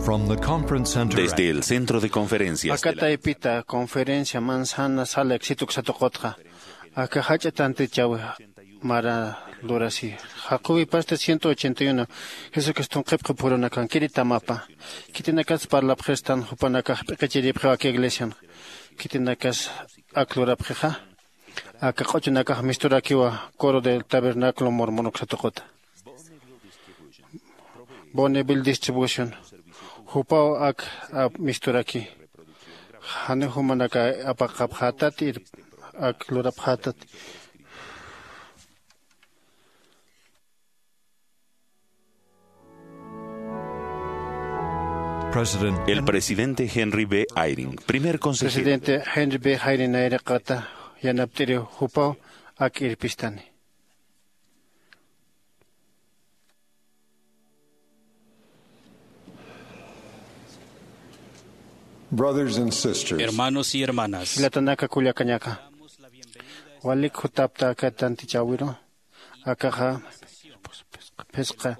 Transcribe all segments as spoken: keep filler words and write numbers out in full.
From the conference center. Desde el centro de conferencias de la Akataypita conferencia manzana sala éxito ksatuqutqa. Aka jach'a tantichawi mara lurasi. Jaquwi pasta ciento ochenta y uno. Jesucriston qhipqi phurunakankiri tamapa. Khitinakas parlapxistan jupanakax p'iqichiripxiw aka iglesian. Khitinakas ak lurapxixa. Aka q'uchunakax misturakiwa coro del tabernáculo mormon uksatuquta. Bonneville Distribution. Jupaw ak, ap misturaki. Jani jumanaka apaqapxätati, ak lurapxätati. President El presidente Henry B. Eyring, primer consejero. Presidente Henry B. Eyring nayraqata yanapt'iri jupaw ak irpistani. Brothers and sisters. Hermanos y hermanas. Jilatanaka kullakañaka. Walik jutapta aka tantichawiru. Akaxa phisqa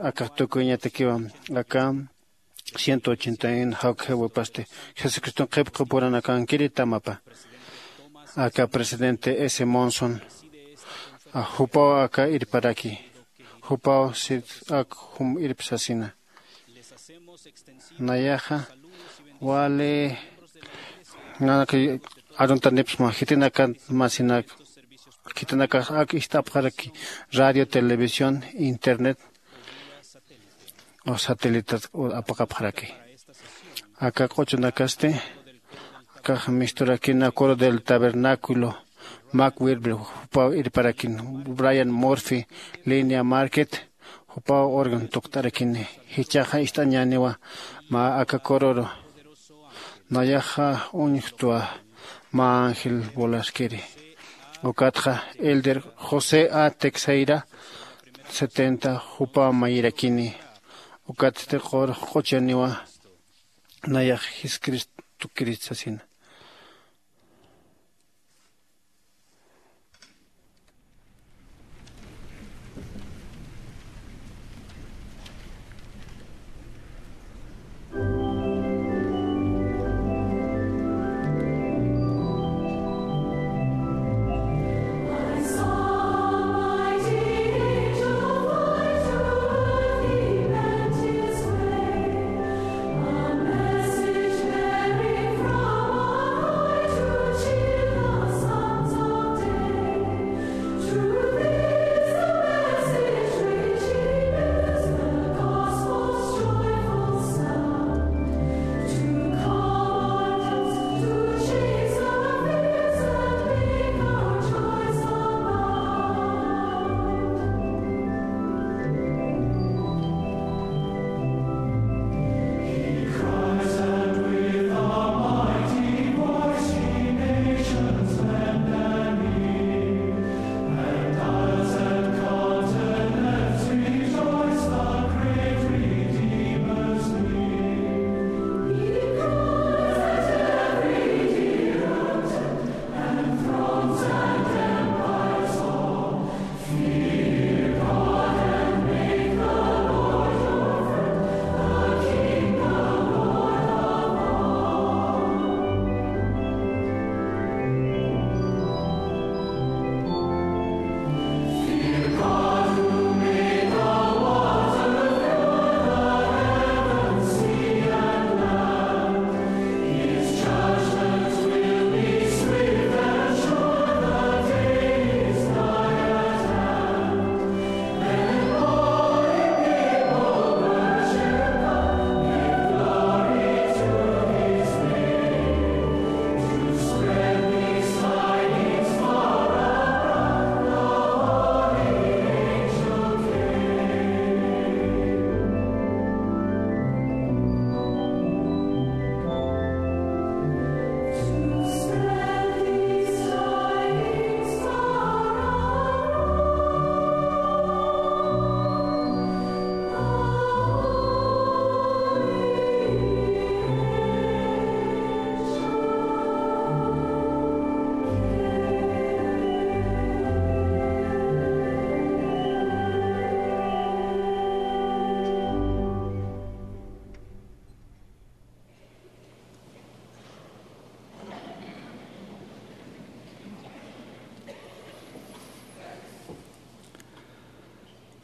akax tukuyañatakiwa. Aka ciento ochenta y uno jawkjiwipasti Jesucriston qhipqi purunakankiri tamapa. Aka presidente S. Monson, a, jupaw aka irparaki. Jupaw sit ak jum irpsasina. Nayaxa wali nanaka aruntanipsma jitinakan masinak. Khitinakax ak ist'apxaraki radio, televisión, internet o satélite apaqapxaraki. Aka q'uchunakasti akax misturakina coro del tabernáculo, Mac Wilber jupaw irparakin, Brian Murphy, Línea Market jupaw órgano tukt'arakini. Jichhaxa ist'añäniwa mä aka cororu. Nayaxa uñjtwa mä ángel volaskiri. Ukatxa elder José A. Texeira setenta jupaw mayirakini. Ukatsti q'uchaniwa nayax Jesucristukirist sasina.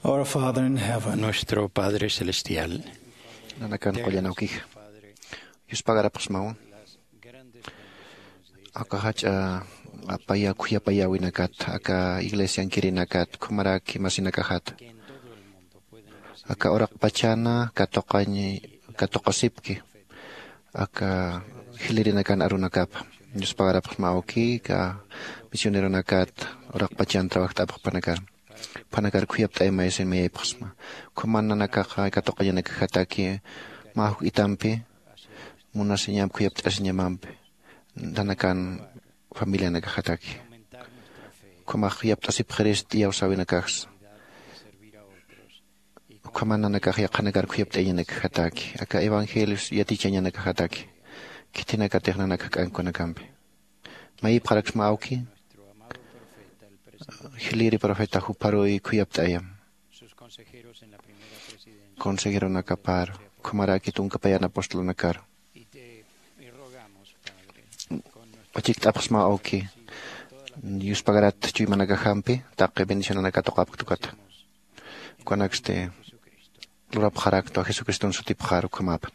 Our Father in heaven. Nuestro Padre Celestial. Nanakan qullan awkija. Yuspagarapxsmawa. Aka jach'a apaya khuyapayäwinakat, aka iglesiankirinakat, khumaraki masinakajat. Aka uraqpachana katuqañ, katuqasipki. Aka jilïrinakan arunakapa. Yuspagarapxsma awki, aka misioneronakat, uraqpachan trabajt'apxpanakar. Phanakar khuyapt'ayamayasin mayaypxsma. Khuman nanakaxa katuqañanakajataki, mä juk itampi, munasiñamp khuyapt'asiñamampi, nanakan familianakajataki. Ukhamax khuyapt'asipxirist iyawsäwinakajsa. Ukhama nanakax yaqhanakar khuyapt'ayañanakajataki. Aka evangelios yatichañanakajataki. Khitinakatix nanakax k'ankunakampi. Mayipxaraksma awki. Jilïri profeta jupharuy khuyapt'ayam. Consejeronakapar, ukhamaraki tunka payan apostolnakar. Achikt'apxsma awki, yuspagarat chuymanakajampi, taqi bendicionanaka tuqapktukata. Ukanaksti lurapxaraktwa Jesucriston sutipxar ukhamapa.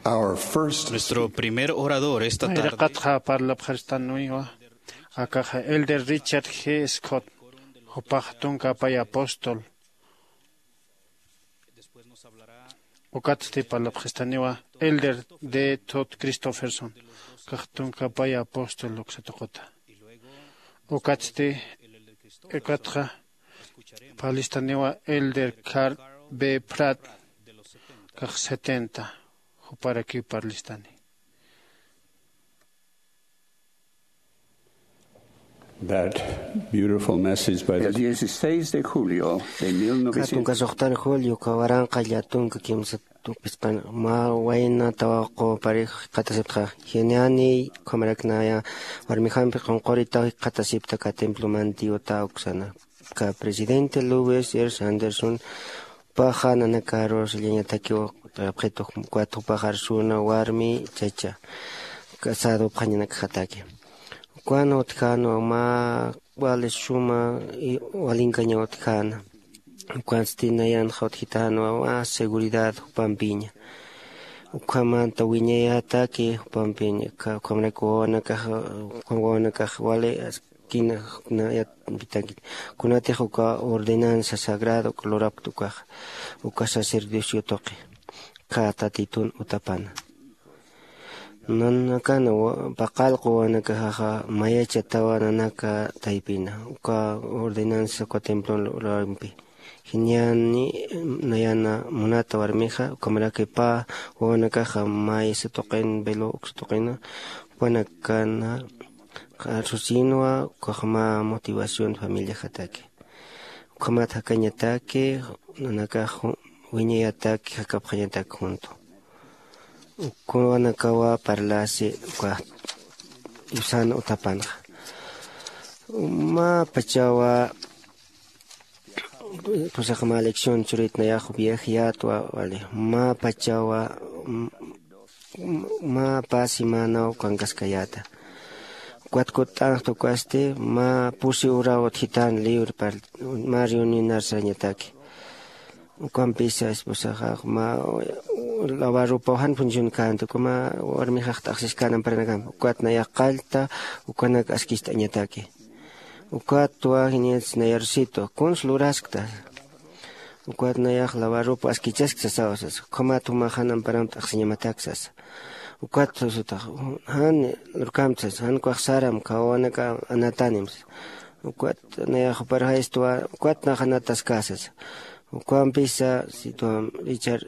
Our first Nuestro primer orador esta tarde. Nayraqatxa parlapxaristaniwa akaxa Elder Richard G Scott, jupax tunka apay apóstol. Ukatsti parlapxistaniwa Elder D Todd Christofferson, kax tunka apay apóstol uksa tuquta. Ukatsti ukatxa parlastaniwa Elder Carl B Pratt, kax setenta, juparakiw parlastani. That beautiful message by the El dieciséis de julio de mil novecientos. Katunka suxtan julio, kawaranqa llatunka kimsa tukpispan, ma wayna tawaqu parix qhatasiptxa, jiñani, khamaraknaya, warmijampi qunquritaw qhatasipta ka templo mantiota uksana. Ka presidente Louis R Sanderson, paxa nanakaru sillañatakiw, apxitu, ukat jupaxarsuna warmi chacha, casado pxañanakxataki. Ukan utjana, ma wali suma, walinkaña utjana. Ukansti nayanxa utjitanwa, ma seguridad jupampiña. Ukhamanta wiñayataki jupampiña, ukhamarak wawanakax, ukham wawanakax wali kina, na yat, pitanki. Kunatix uka ordenanza sagrado lurapkta ukax, uka sacerdocio tuqi, ka tatitun utapana. Nanakana wa-, paqallqu wawanakaxaxa mayachatawa nanaka taypina, uka ordenanza uka templon lurampi. Jiñani, nayana munata warmixa, ukhamaraki pä wawanakaxa maysa tuqin, velo uksa tuqina, jupanakana, arsusinwa, ukax mä motivación familiajataki. Ukhamat jakañataki, nanakax wiñayataki, jakapxañataki junto. Uka wawanakawa parlasi, uka iwsan utapanxa. Mä pachawa, pusaqa mä lección churit nayax viajeyätwa, wali. Mä pachawa, m-, m-, mä pä semanaw kankaskayäta. Ukat kutt'anxta ukasti, mä pusi uraw utjitan libre par, mä reunionar sarañataki. Ukampisa esposaxa, mä lavar ropaw jan funcionkänti, uka mä warmixax t'aqsiskän amparanakampi. Ukat nayax qallta, ukanak askist'añataki. Ukatwa jiñas nayarsitu, kuns luraskta. Ukat nayax lavar ropa askichaskta sasawa sasa. Ukhamat jumax jan amparamp t'aqsiñamatak sasa. Ukat sasutax, jan lurkamp sasa, jan ukax saram, kawawanaka anatanim sasa. Ukat nayax juparjaystuwa, ukat nax anataska sasa. Ukampisa, sitwam Richard,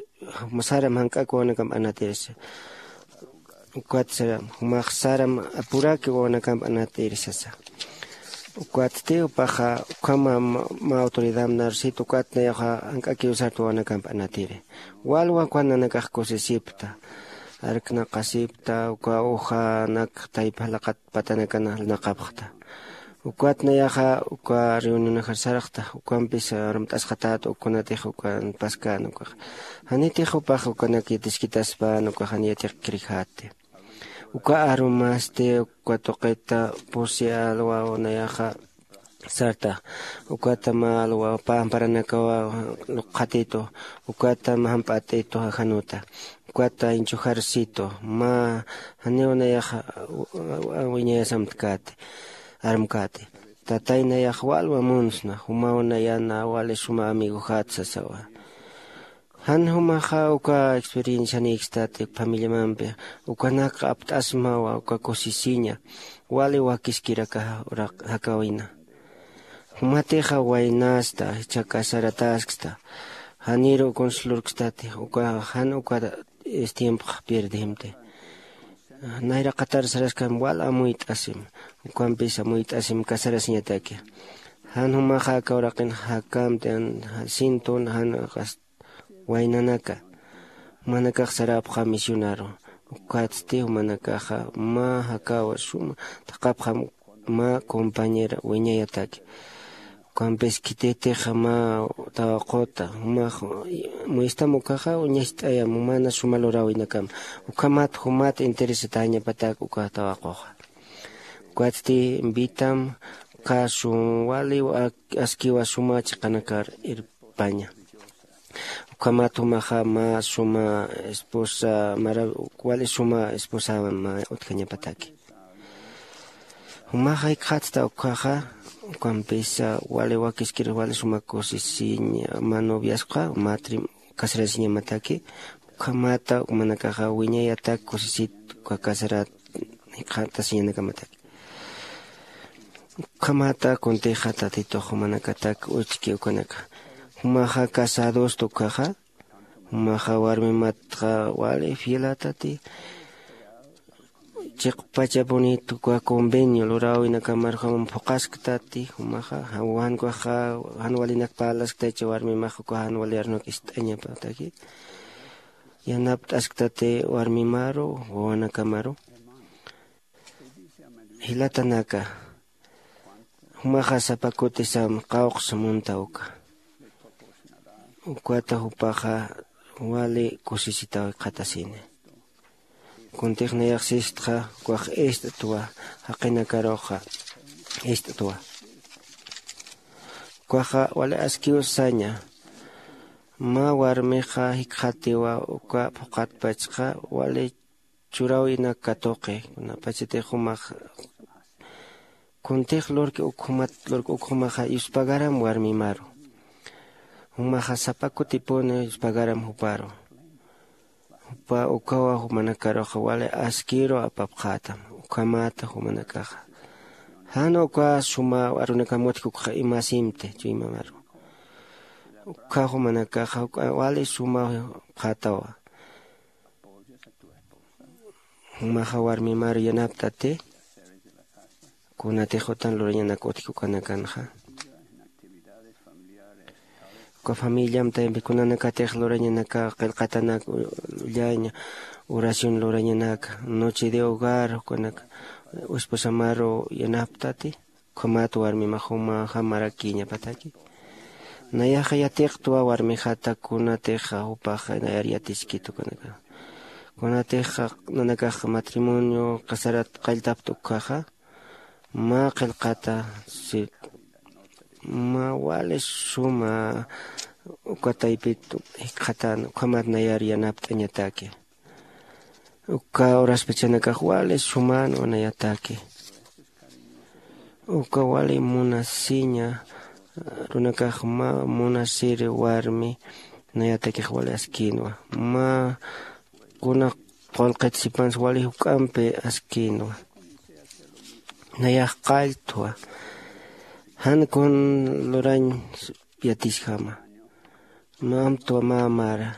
saram jank'ak wawanakamp anatiri sasa. Ukat saram, jumax saram apuraki wawanakamp anatiri sasa. Ukatsti jupaxa, ukhama ma, ma autoridad narsit, ukat nayaxa jank'akiw sart wawanakamp anatiri. Walwa ukan nanakax kusisipta, arknaqasipta, uka ujanak taypa jalaqat patanakana jalnaqapxta. Ukat nayaxa, uka reunionajar sarxta, ukampis arumt'asxatat, ukunatix ukan paskan ukax. Janitix jupax ukanak yatiskitaspan, uka jan yatiqkirjati. Uka arumasti, uka tuqita pusi alwaw nayaxa sarta, ukata mä alwaw pä amparanakawa lukxatitu, ukata mä jamp'atitu januta, ukata inchujarsitu, mä janiw nayaxa wiñayasamtkäti, armkäti. Tatay nayax walwa munsna, jumaw nayana wali suma amigojat sasawa. Jan jumaxa uka experiencianïkstati familiamampi, ukanak apt'asmawa, uka kusisiña, wali wakiskirakaxa uraq jakawina. Jumatixa waynasta, jichha casaratasksta, janiru kuns lurkstati, uka jan uka tiempxa pierdimti. Nayraqatar saraskam wal amuyt'asim, ukampis amuyt'asim casarasiñataki. Jan jumaxa aka uraqin jakamti, jan sintun, jan waynanaka, jumanakax sarapxa misionaru. Ukatsti jumanakaxa mä jakawa suma thaqhapxam mä compañera wiñayataki. Ukampis khititix mä tawaquta, jumax muystam ukaxa uñacht'ayam, jumana suma luräwinakam. Ukhamat jumat interesatañapatak uka tawaquxa. Ukatsti invitam, uka sum wali askiwa suma chiqanakar irpaña. Ukhamat jumaxa mä suma esposa maraw wali suma esposawan mä utjañapataki. Jumaxa jikxatsta ukkhaxa ukampisa wali wakiskir wali suma kusisiñ mä noviasqa mä trim casarasiñamataki. Ukhamata jumanakaxa wiñayatak kusisit uka casarat jikxatasiñanakamataki. Ukhamata kuntixa tatitux jumanakatak uchki ukanaka jumaxa casadosta ukkhaxa jumaxa warmimatxa wali fielatati. Chiqpachapunitu uka convenio luräwinakamar jumam phuqasktati jumaxa jan ukaxa jan walinak parlasktacha warmimax uka jan wali arnuk ist'añapataki. Yanapt'asktati warmimaru wawanakamaru. Jilatanaka jumaxa sapa kutisam qawqsa munta uka. Ukwata jupaxa wali kusisitaw jikxatasini. Kuntix nayax sistxa ukax ist'twa jaqinakaruxa ist'twa. Ukaxa wali askiw saña. Mä warmixa jikxatiwa uka phuqatpachxa wali churäwinak katuqi kunapachatix jumax kuntix lurki ukhumat lurki ukhumaxa yuspagaram warmimaru. Jumaxa sapa kutipuni yuspagaram juparu. Jupa ukawa jumanakaruxa wali askiru apapxätam. Ukhamata jumanakaxa jan uka suma arunakam utjkukxa imasimti chuymamaru. Ukha jumanakaxa wali suma pxätawa. Jumaxa warmimar yanaptati. Kunatix utan lurañanak utjki ukanakanxa uka familiam tayampi kunanakatix lurañanaka qillqatanak ullaña oración lurañanaka noche de hogar ukanaka esposamaru yanaptati. Ukhamat warmimax jumaxa marakïñapataki. Nayaxa yatiqtwa warmixata kunatixa jupaxa nayar yatiskit ukanaka kunatixa nanakax matrimonio casarat qalltapta ukkhaxa mä qillqata si mä wali suma uka taypit jikxatan ukhamat nayar yanapt'añataki. Uka uraspachanakax wali suman wanayataki. Uka wali munasiña runakax mä munasiri warmi nayatakix wali askinwa. Mä kuna qullqit sipansa wali juk'ampi askinwa. Nayax qalltwa jan kun lurañ yatisjama. Mamtwa mamara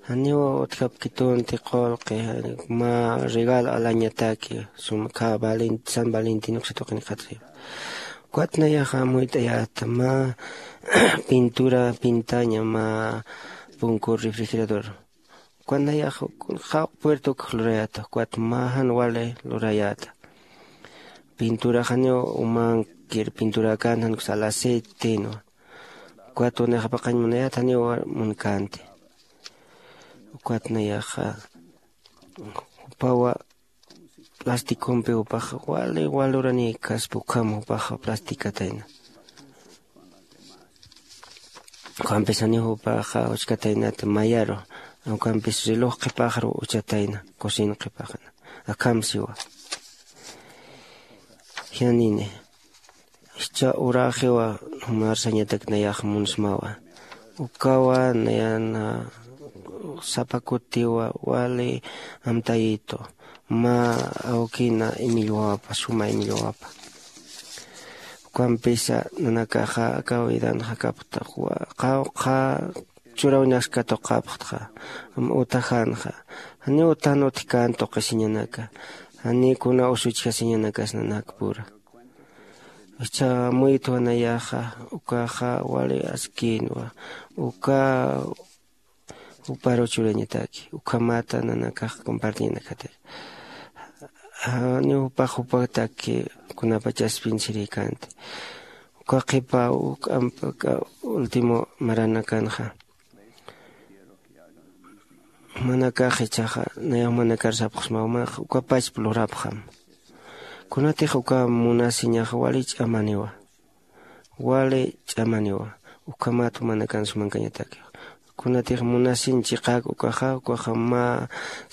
janiw utjapkitunti qullqi mä regalo alañataki suma kha san valentin uksatuqin qhatxiwa. Ukat nayaxa amuyt'ayäta mä pintura pintaña mä punkur refrigerador. Ukat nayaxa jawq puerta ukx lurayäta ukat mä jan wali lurayäta. Pintura janiw umankir pinturakän jan uksa al aceitenwa. Ukat unixapaqañ munayät janiw munkänti. Ukat nayaxa jupawa plastikompi jupaxa wali waluranïkaspa ukham jupaxa plastikatayna. Ukhampis janiw jupaxa uchkataynata mayaru. Ukampis reloj qhipaxru uchatayna cocina qhipaxana. Akham siwa. Jianini. Jichha uraxiwa jumarsañatak nayax munsmawa. Ukawa nayana sapa kutiwa wali amtayitu mä awkina imillwawapa suma imillwawapa. Ukampisa nanakaxa aka widanxa kapxta qawqha churawinaks katuqapxtxa. Utajanxa janiw utan utjkän tuqisiñanaka. Janiw kuna usuchjasiñanakas nanakpura. Jichha amuytwa nayaxa ukaxa wali askïnwa. Uka juparu churañataki ukhamata nanakax compartiñanakataki. Janiw jupax jupataki kunapachas piensirïkänti. Uka qhipa uk ampa último maranakanxa. Jumanakax jichhaxa nayax jumanakar sapxsma jumax ukapachpa lurapxam. Kunatix uka munasiñaxa wali ch'amaniwa. Wali ch'amaniwa. Ukhamat jumanakan sumankañatakix. kunatix munasiñ chiqak ukaxa ukaxa mä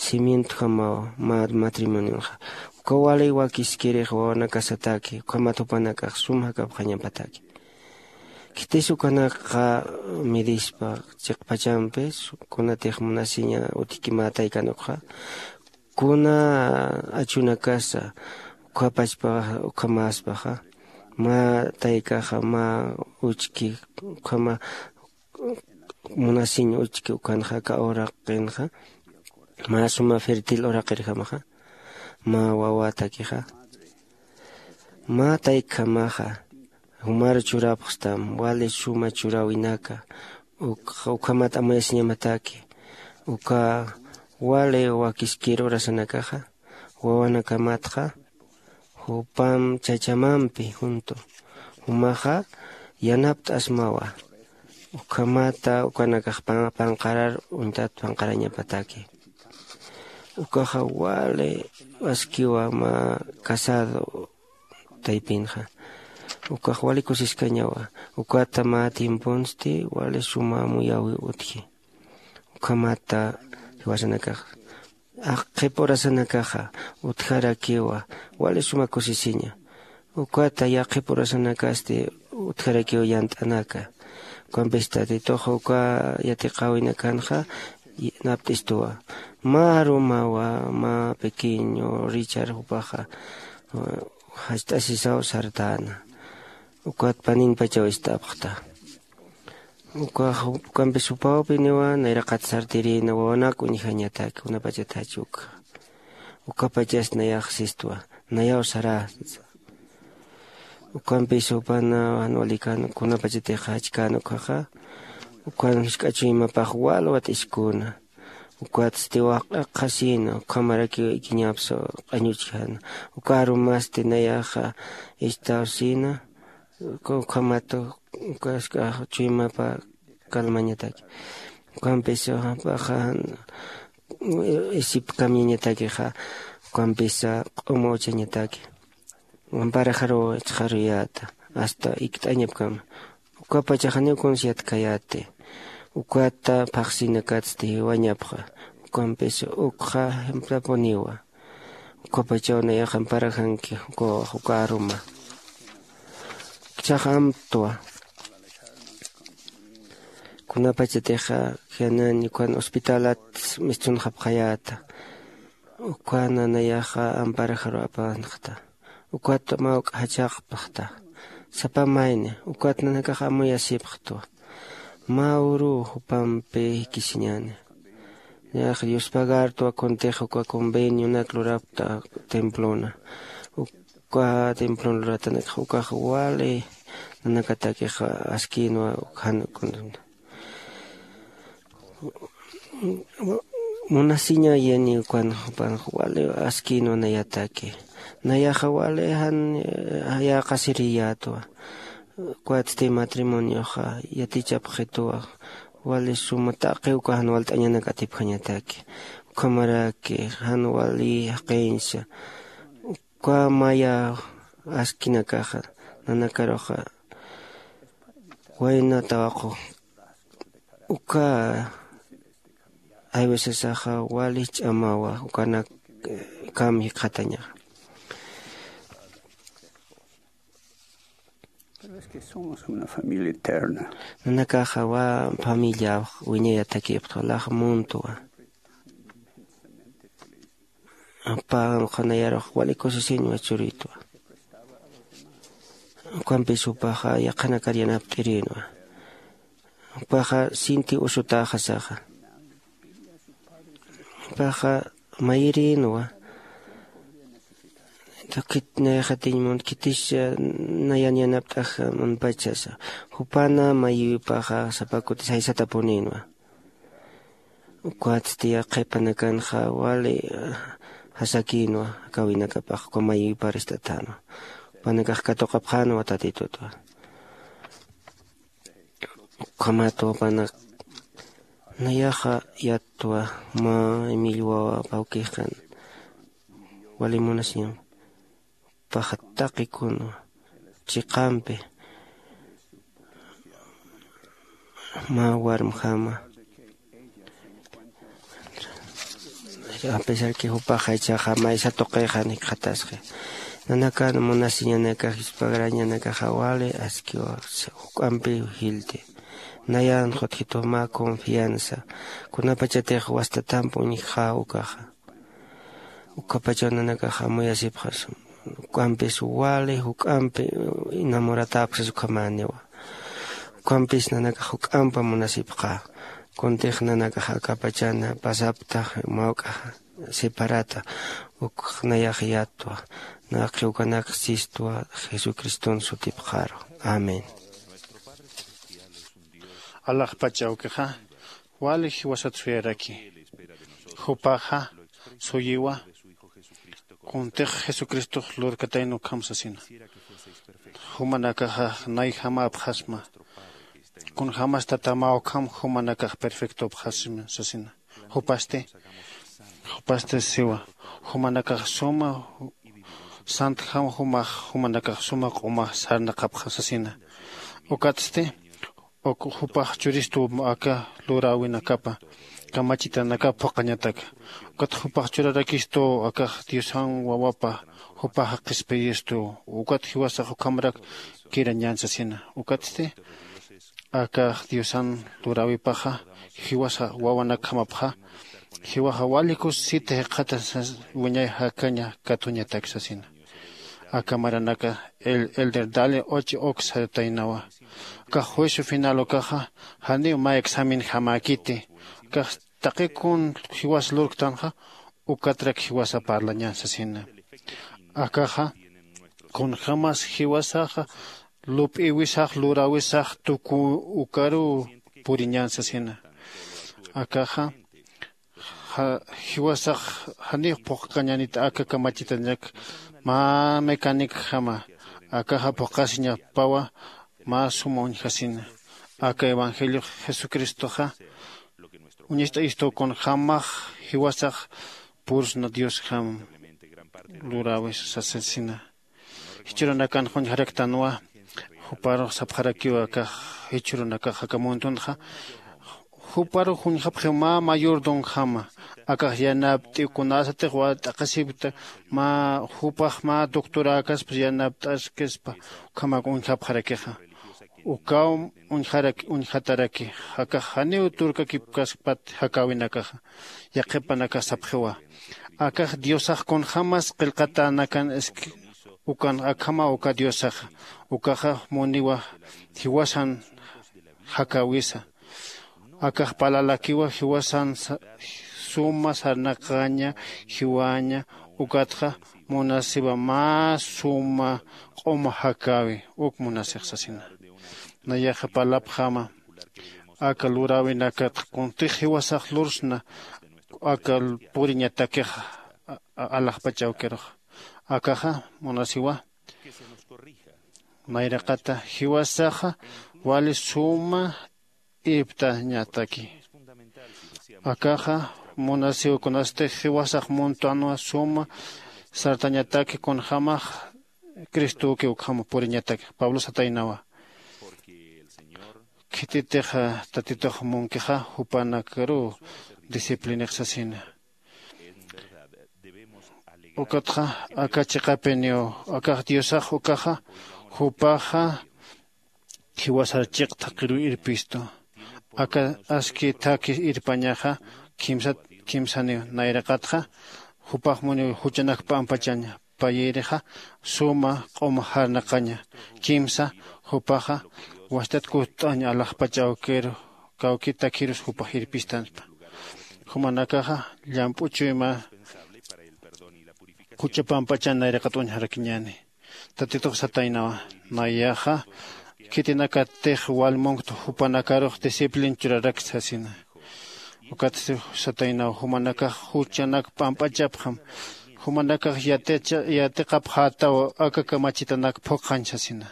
cimientjamawa mä matrimonionxa. Uka wali wakiskirix wawanakasataki ukhamat jupanakax sum jakapxañapataki. Khitis ukanakxa midispa chiqpachampis kunatix munasiña utjki mä taykanukxa kuna achunakasa ukhapachpa ukhamäspaxa mä taykaxa mä uchki ukhama munasiñ uchki ukanxa aka uraqinxa mä suma fértil uraqirjamaxa mä wawatakixa mä taykhamaxa jumar churapxstam wali suma churäwinaka ukhamat amuyasiñamataki uka wali wakiskir urasanakaxa wawanakamatxa jupam chachamampi juntu jumaxa yanapt'asmawa. Ukhamata ukanakax panqarar uñtat panqarañapataki ukaxa wali askiwa mä casado taypinxa ukax wali kusiskañawa. Ukata mä tiemponsti wali suma muyäwi utji ukhamata jiwasanakax aqhip urasanakaxa utjarakiwa wali suma kusisiña. Ukata yaqhip urasanakasti utjarakiwa yant'anaka ukampis tatitux uka yatiqäwinakanxa napt'istuwa mä arumawa mä pequeño richard jupaxa jast'asisaw sartäna ukat paninpachaw ist'apxta. Ukax ukampis jupawpiniwa nayraqat sartirïna wawanak uñjañataki kunapachatach ukxa ukapachas nayax sistwa nayaw saräsa. Ukampis jupana jan walikan kunapachatixa jachkän ukhaxa ukan jusk'achuymapax walwat iskuna ukatsti waq'aqhasïna ukhamarakiw ikiñapsa q'añuchjana uka arumasti nayaxa istawsïna ukhamat ukask'a chuymapa calmañataki ukampis jupaxa isipkamiñatakixa ukampisa q'uma uchañataki amparaxaruw ichxaruyäta asta ikt'añapkama ukapachax janiw kuns yatkhayäti ukata phaxsinakatsti jiwañapxa ukampis ukxa jimtapuniwa ukapachaw nayax amparaxanki ukawax uka aruma ichhax amtwa kunapachatixa jianañ ukan hospitalat mistunxapxayäta ukan nayaxa amparaxaru apanxta ukat mä uk' jachaqpxta sapa mayni ukat nanakax amuyasipxtwa mä uruw jupampi jikisiñäni nayax yuspagartwa kuntix uka convenionak lurapkta templona uka templon luratanakax ukax wali nanakatakix askïnwa jan kunamta munasiña yaniw ukan jupanx wali askïnwa nayataki nayaxa wali jan yäqasiriyätwa ukwatsti matrimonioxa yatichapxituwa wali suma taqi uka jan walt'añanak atipjañataki ukhamaraki jan wali jaqiñsa uka maya askinakaxa nanakaruxa wayna tawaqu uka hay veces axa wali ch'amawa ukanak kam jikxatañaxa. Pero es que somos una familia eterna. Nanakaxa wa familia wiñayatakipxta lax muntuwa. Apaxan qhanayarux wali kusisiñwa churitwa. Ukampis jupaxa yaqhanakar yanapt'irinwa. Jupaxa sinti usutaxasaxa jupaxa mayirinwa. Khit nayxatiñ munt khitis nayan yanapt'ax munpachasa jupana mayïwipaxa sapa kutis jaysatapuninwa. Ukwatsti qhipanakanxa wali jasakïnwa. Kawinakapax uka mayïwiparist'atänwa jupanakax katuqapxänwa tatitutwa. Ukhamatwa jupanak nayaxa yattwa mä millwawa pawkixan wali munasiñam paxa taqi kunwa chiqampi mä warmjama A pesar que jupaxa ichaxa maysa tuqixa nikxatasqi. Nanakan munasiñanakax yuspagrañanakaxa wali askiwa juk'ampi jilti. Nayan jutjituma confianza kunapachatix wastatamp uñjxa ukaxa. Ukapachaw nanakax amuyasipxas juk'ampis wali juk'ampi enamoratäpxsas ukhamäniwa. Ukampis nanakax juk'ampa munasipxä. Kuntix nanakax akapachana pasaptax mawk'axa separata. Ukx nayax yatwa. Naqi ukanak sistwa jesucriston sutipxaru. Amén. Alaxpach awkixa wali jiwasat suyaraki. Jupaxa suyiwa kuntix jesucristox lurkatayna ukham sasina. Jumanakaxa nayjamäpxasma. Kunjämas tatamaw ukham jumanakax perfectopxasma sasina. Jupasti jupasti siwa jumanakax suma santjam jumax jumanakax suma q'umax sarnaqapxam sasina. Ukatsti uk jupax churistuw aka luräwinakapa kamachitanakap phuqhañataka. Ukat jupax churarakistuw akax diosan wawapa jupaxa qhispiyistuw. Ukat jiwasax ukhamrak kirañän sasina. Ukatsti akax diosan luräwipaxa jiwasa wawanakjamapxa jiwaxa wali kusisita jikxata sas wiñay jakaña katuñatak sasina. Aka maranaka el elder dale och ok sartaynawa. Akax juicio final ukaxa janiw mä examen jamäkiti. Akax taqi kun jiwas lurktanxa ukatrak jiwasa parlañän sasina. Akaxa kunjämas jiwasaxa lup'iwisax luräwisax tuku ukaruw puriñän sasina. Akaxa jiwasax janiw phuqkañänit aka kamachitanak mä mecanicjama. Akaxa phuqasiñapawa mä suma uñjasina. Aka evangeliox jesucristoxa uñist'ayistuw kunjämax jiwasax pursna diosjam luräwis sasasina. Jichhüranakanx uñjaraktanwa. Juparux sapxarakiw akax jichhüranakax aka muntunxa juparux uñjapxiw mä mayordomjama. Akax yanapt'iw kunasatix wali t'aqhisipkta mä jupax mä doctoräkaspas yanapt'askispa ukhamak uñjapxarakixa. Ukaw uñjarak uñjataraki. Akax janiw turkakipkaspat jakäwinakaxa. Yaqhipanakax sapxiwa akax diosax kunjämas qillqatänakan iski ukan akhama uka diosaxa. Ukaxa muniwa jiwasan jakäwisa. Akax parlalakiwa jiwasan suma sarnaqaña jiwaña. Ukatxa munasiwa mä suma q'uma jakäwi uk munasix sasina. Nayaxa parlapxäma aka luräwinakatxa kuntix jiwasax lursna aka puriñatakixa alaxpach awkirux. Akaxa munasiwa nayraqata jiwasaxa wali suma irptañataki. Akaxa munasiw kunasti jiwasax muntanwa suma sartañataki kunjämax cristowki ukhama puriñataki. Pablo sataynawa khititix tatitux munkixa jupanakaruw disciplinix sasina. Ukatxa aka chiqapiniw akax diosax ukaxa jupaxa jiwasar chiq thaqiruw irpistu. Aka aski thakhi irpañaxa kimsat kimsaniw nayraqatxa jupax muniw juchanak p'ampachaña. Payïrixa suma q'uma jarnaqaña. Kimsa jupaxa wastat kust'añ alaxpach awkiru kawki takhirus jupax irpistanspa. Jumanakaxa llamp'u chuyma jucha pampachan nayraqat uñjarakiñäni. Tatitux sataynawa nayaxa khitinakatix wal munkt jupanakarux disciplin churarakta sasina. Ukat sataynaw jumanakax juchanak p'amp'achapxam. Jumanakax yaticha yatiqapxätaw aka kamachitanak phuqhañ sasina.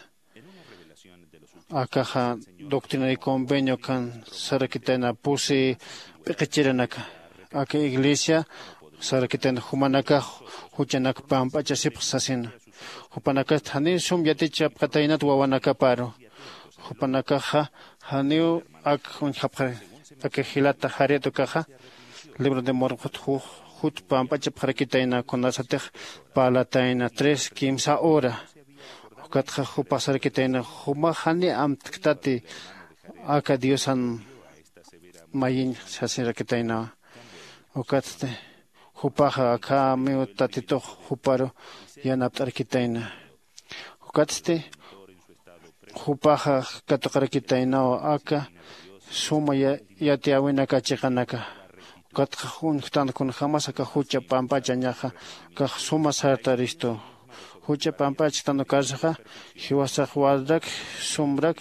Akaxa doctrina y convenio kan sarakitayna pusi p'iqichiranaka aka iglesia sarakitayna jumanakax juchanak pamp'achasipx sasina. Jupanakast janiw sum yatichapxataynat wawanakaparu. Jupanakaxa janiw ak uñjapxar aka jilata jarit ukaxa libro de mormon juj jut pamp'achapxarakitayna kunasatix parlatayna tres kimsa hora. Ukatxa jupax sarakitayna jumax jani amtktati aka diosan mayiñ sasirakitaynawa. Ukatsti jupaxa akhamiw tatitux juparu yanapt'arakitayna. Ukatsti jupaxa katuqarakitaynaw aka suma yatiyäwinaka chiqanaka. Ukatxa uñjtan kunjämas aka jucha pamp'achañaxa akax suma sartaristu. Jucha pamp'achktan ukarsaxa jiwasax walrak sumrak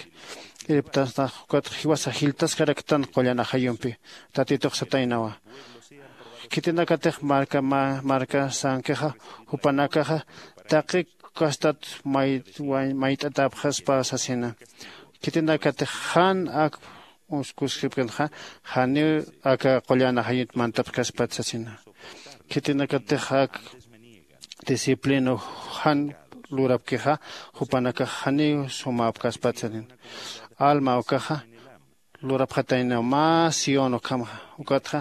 irptastax ukatxa jiwasax jiltaskaraktan qullan ajayumpi. Tatitux sataynawa, khitinakatix marka marka sankixa jupanakaxa taqi kastat mayt'atäpxaspa sasina. Khitinakatix jan ak uskusipkanxa janiw aka qullan ajayunt mantapxaspat sasina. Khitinakatix ak disciplina jan lurapkixa jupanakax janiw sumäpkaspat sasina. Alma ukaxa lurapxatayna mä sión ukhamaxa. Ukatxa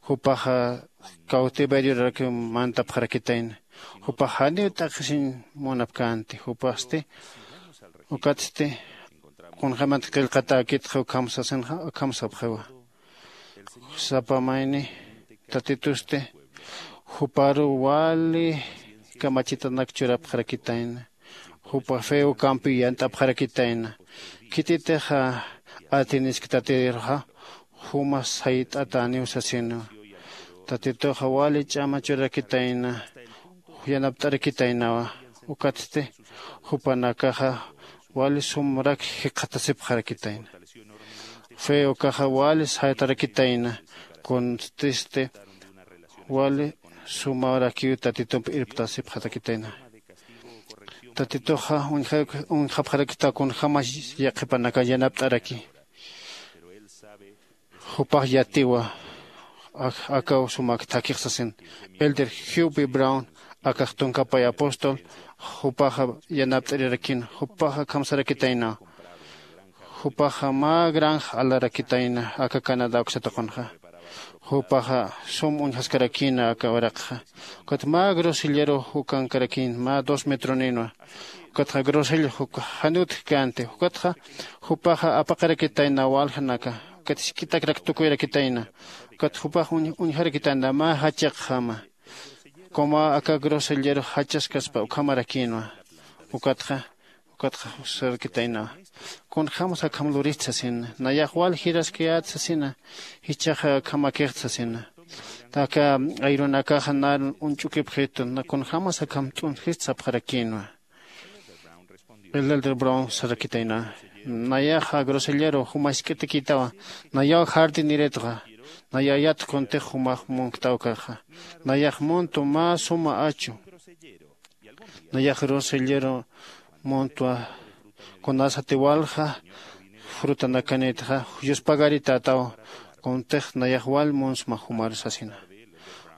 jupaxa cautiveriorakiw mantapxarakitayna. Jupax janiw t'aqhisiñ munapkänti jupasti. Ukatsti kunjämat qillqatäkitxa ukham sasinxa ukham sapxiwa. Sapa mayni tatitusti juparu wali kamachitanak churapxarakitayna. Jupa feo ukampiw yant'apxarakitayna. Khititixa atinisktatiriruxa juma sayt'atäniw sasinwa. Tatituxa wali ch'ama churarakitayna yanapt'arakitaynawa. Ukatsti jupanakaxa wali sumrak jikxatasipxarakitayna. Fe ukaxa wali saytarakitayna. Kuntisti wali sumarakiw tatitump irptasipxarakitayna. Tatituxa uñjapxarakita kunjämas yaqhipanaka yanapt'araki. Jupax yatiwa akaw sumak thakix sasin. Elder hubi brown akax tunkapay apóstol jupaxa yanapt'arirakin. Jupaxa akham sarakitayna. Jupaxa mä granja alarakitayna aka canadá uksatuqunxa. Jupaxa sum uñjaskarakïna aka uraqxa. Ukat mä grosellero jukankarakïn mä dos metroninwa. Ukatxa grosella janiw utjkänti ukatxa jupaxa apaqarakitayna waljanaka. Ukat jisk'itakrak tukuyarakitayna. Ukat jupax uñjarakitayna mä jachaqjama. Como aka grosellero jachaskaspa ukhamarakïnwa. Ukatxa ukatxa sarakitaynawa. Kunjämas akham lurist sasina nayax wal jiraskayät sasina. Jichhaxa akhamakixta sasina. Aka ayrunakaxa nar uñch'ukipxitu kunjämas akham t'unsjist sapxarakïnwa. Elder brown sarakitayna. Nayaxa grosellero juma jisk'itakïtawa. Nayaw jardineretxa. Nayayat kuntix jumax munktawkaxa. Nayax muntu mä suma achu. Nayax grosellero muntwa. Kunasati walja frutanakanïtxa yuspagaritätaw. Kuntix nayax wal munsma jumar sasina.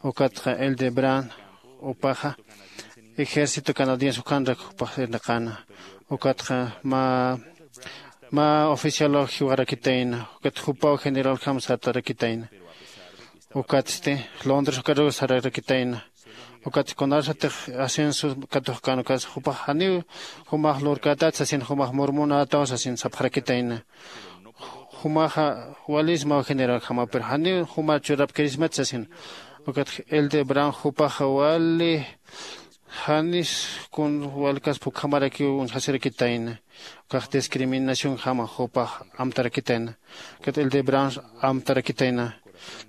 Ukatxa elder brown jupaxa ejército canadiense ukanrak jupax irnaqäna. Ukatxa mä mä oficialaw jiwarakitayna. Ukat jupaw generaljam sartarakitayna. Ukatsti londres ukaruw sararakitayna. Ukat kunasatix ascenso katuqkän ukas jupax janiw jumax lurkätät sasin jumax murmunätaw sasin sapxarakitayna. Jumaxa walismaw generaljama pero janiw jumar churapkirismat sasin. Ukat elder brown jupaxa wali janis kun walkaspa ukhamarakiw uñjasirakitayna. Ukax discriminacionjama jupax amtarakitayna. Ukat elder brown amtarakitayna.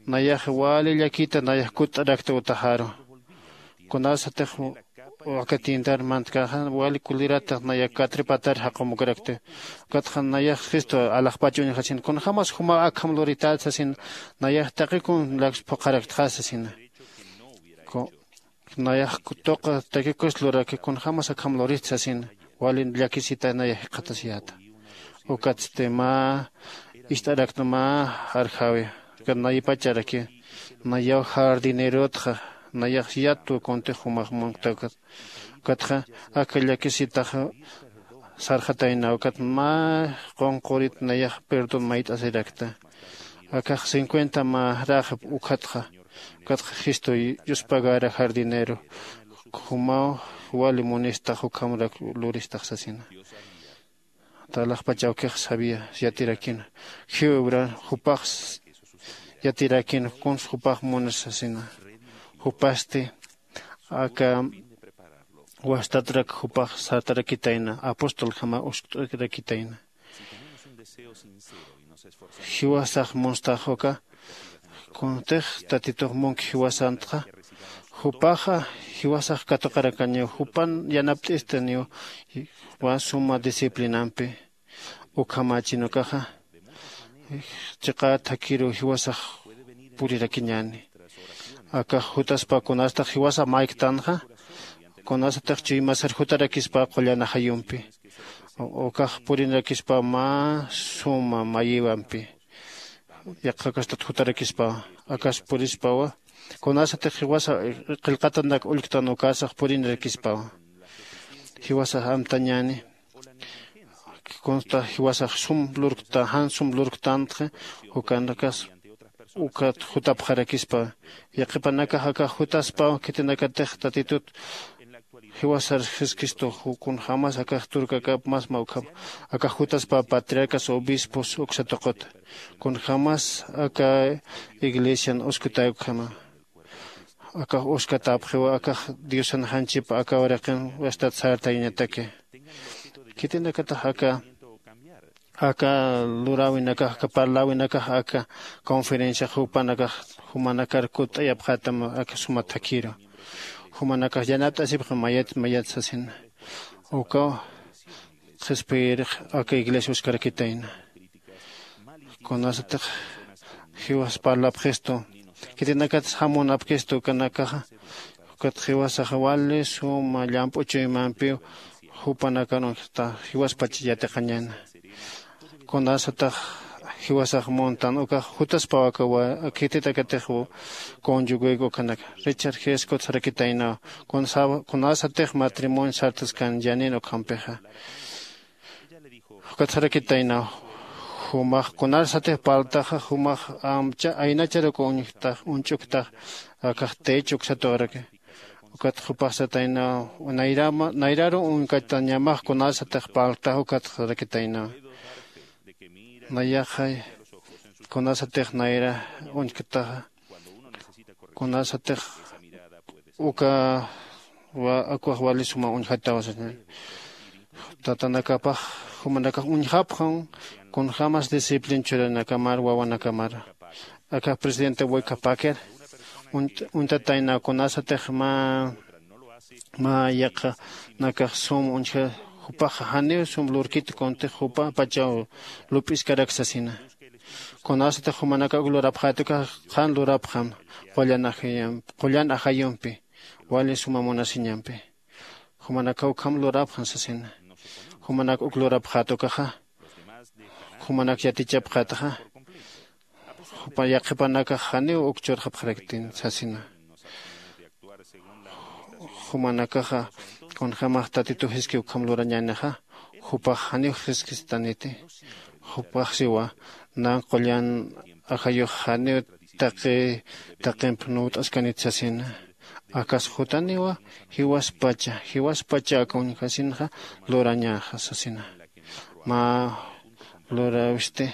Nayax wali llakita nayax kutt'arakta utaxaru. Kunasatix aka tiendar mantkaxa wali kulirata nayax katripatar jaqumukarakta. Ukatxa nayax cristo alaxpach uñjasin kunjämas jumaw akham lurität sasin. Nayax taqi kun laks phuqharaktxa sasina. Nayax tuqa takikus luraki kunjämas akham lurist sasin. Wali llakisita nayax jikxatasiyäta. Ukatsti mä ist'arakta mä arjawi. Ukat naypacharaki nayaw jardinerotxa nayax yatwa kuntix jumax munkta. Ukatxa aka llakisitaxa sarxatayna ukat mä qunqurit nayax perdón mayt'asirakta. Akax cincuenta mä räxip ukhatxa Ukatxa jistu yuspagara jardinero jumaw wali munistax ukhamrak luristax sasina. Talaxpach awkix sabía yatirakina jiwra jupax yatirakina kuns jupax munas sasina. Jupasti aka wastatrak jupax sartarakitayna apostolkama uskt'arakitayna. Jiwasax munstax uka kuntix tatitux munki jiwasantxa jupaxa jiwasax katuqarakañiw jupan yanapt'istaniw. Wa suma disciplinampi ukhamachin ukaxa chiqa thakhiru jiwasax purirakiñäni. Akax jutaspa kunastax jiwasax mayktanxa kunasatix chuymasar jutarakispa qullan ajayumpi ukax purinarakispa mä suma mayiwampi. Yaqhakastat jutarakispawa akas purispawa kunasatix jiwasa qillqatanak ullktan ukasax purinarakispawa. Jiwasax amtañäni kunsta jiwasax sum lurkta jan sum lurktantxa ukanakas ukat jutapxarakispa. Yaqhipanakax akax jutaspaw khitinakatix tatitut jiwasar jesucristo kunjämas akax turkakap masma ukham akax jutaspa patriarcas obispos uksa tuqut kunjämas aka iglesian uskutäy ukhama. Akax uskatäpxiwa akax diosan janchipa aka uraqin wastat sartayañataki. Khitinakatax aka aka luräwinakax aka parläwinakax aka conferenciax jupanakax jumanakar kutt'ayapxätam aka suma thakhiru jumanakax yanapt'asipxi mayat mayat sasina. Ukaw qhispiyirix aka iglesia uskarakitayna kunasatix jiwas parlapxistu khitinakatas jamunapkistu ukanakaxa ukat jiwasaxa wali suma llamp'u chuymampiw jupanakan uñjta jiwaspach yatiqañäna. Kunasatax jiwasax muntan ukax jutaspaw aka khititakatix conyuguyku ukhanaka richard g scott sarakitaynaw kunasatix matrimonio sartaskan yanin ukhampixa ukat sarakitaynaw jumax kunasatix parltaxa jumax amcha aynachar uka uñjtax uñch'uktax akax techo uksatuqraki. Ukat jupax sataynaw nayraru uñkatañamax kunasatix parltax ukat sarakitaynaw nayaxay kunasatix nayra uñktaxa kunasatix uka akwax wali suma uñjatawa sasina. Tatanakapax jumanakax uñjapxan kunjämas disciplin churanakamar wawanakamar. Aka presidente waykapaker uñtatayna kunasatix mä mä yaqhanakax sum uñja jupaxa janiw sum lurkit kuntix jupa pachaw lup'iskarak sasina. Kunasatix jumanakax uk lurapxätukax qhan lurapxam qullan ajayumpi wali suma munasiñampi. Jumanakaw ukham lurapxan sasina. Jumanak uk lurapxätukaxa jumanak yatichapxätaxa jupa yaqhipanakax janiw uk churxapxaraktin sasina. Jumanakaxa kunjämax tatituw jiski ukham lurañänixa jupax janiw jiskistaniti. Jupax siwa nan qullan ajayux janiw taqi taqimp nuwt'askanit sasina. Akas jutaniwa jiwaspacha jiwaspacha aka uñjasinxa lurañaxa sasina. Mä luräwisti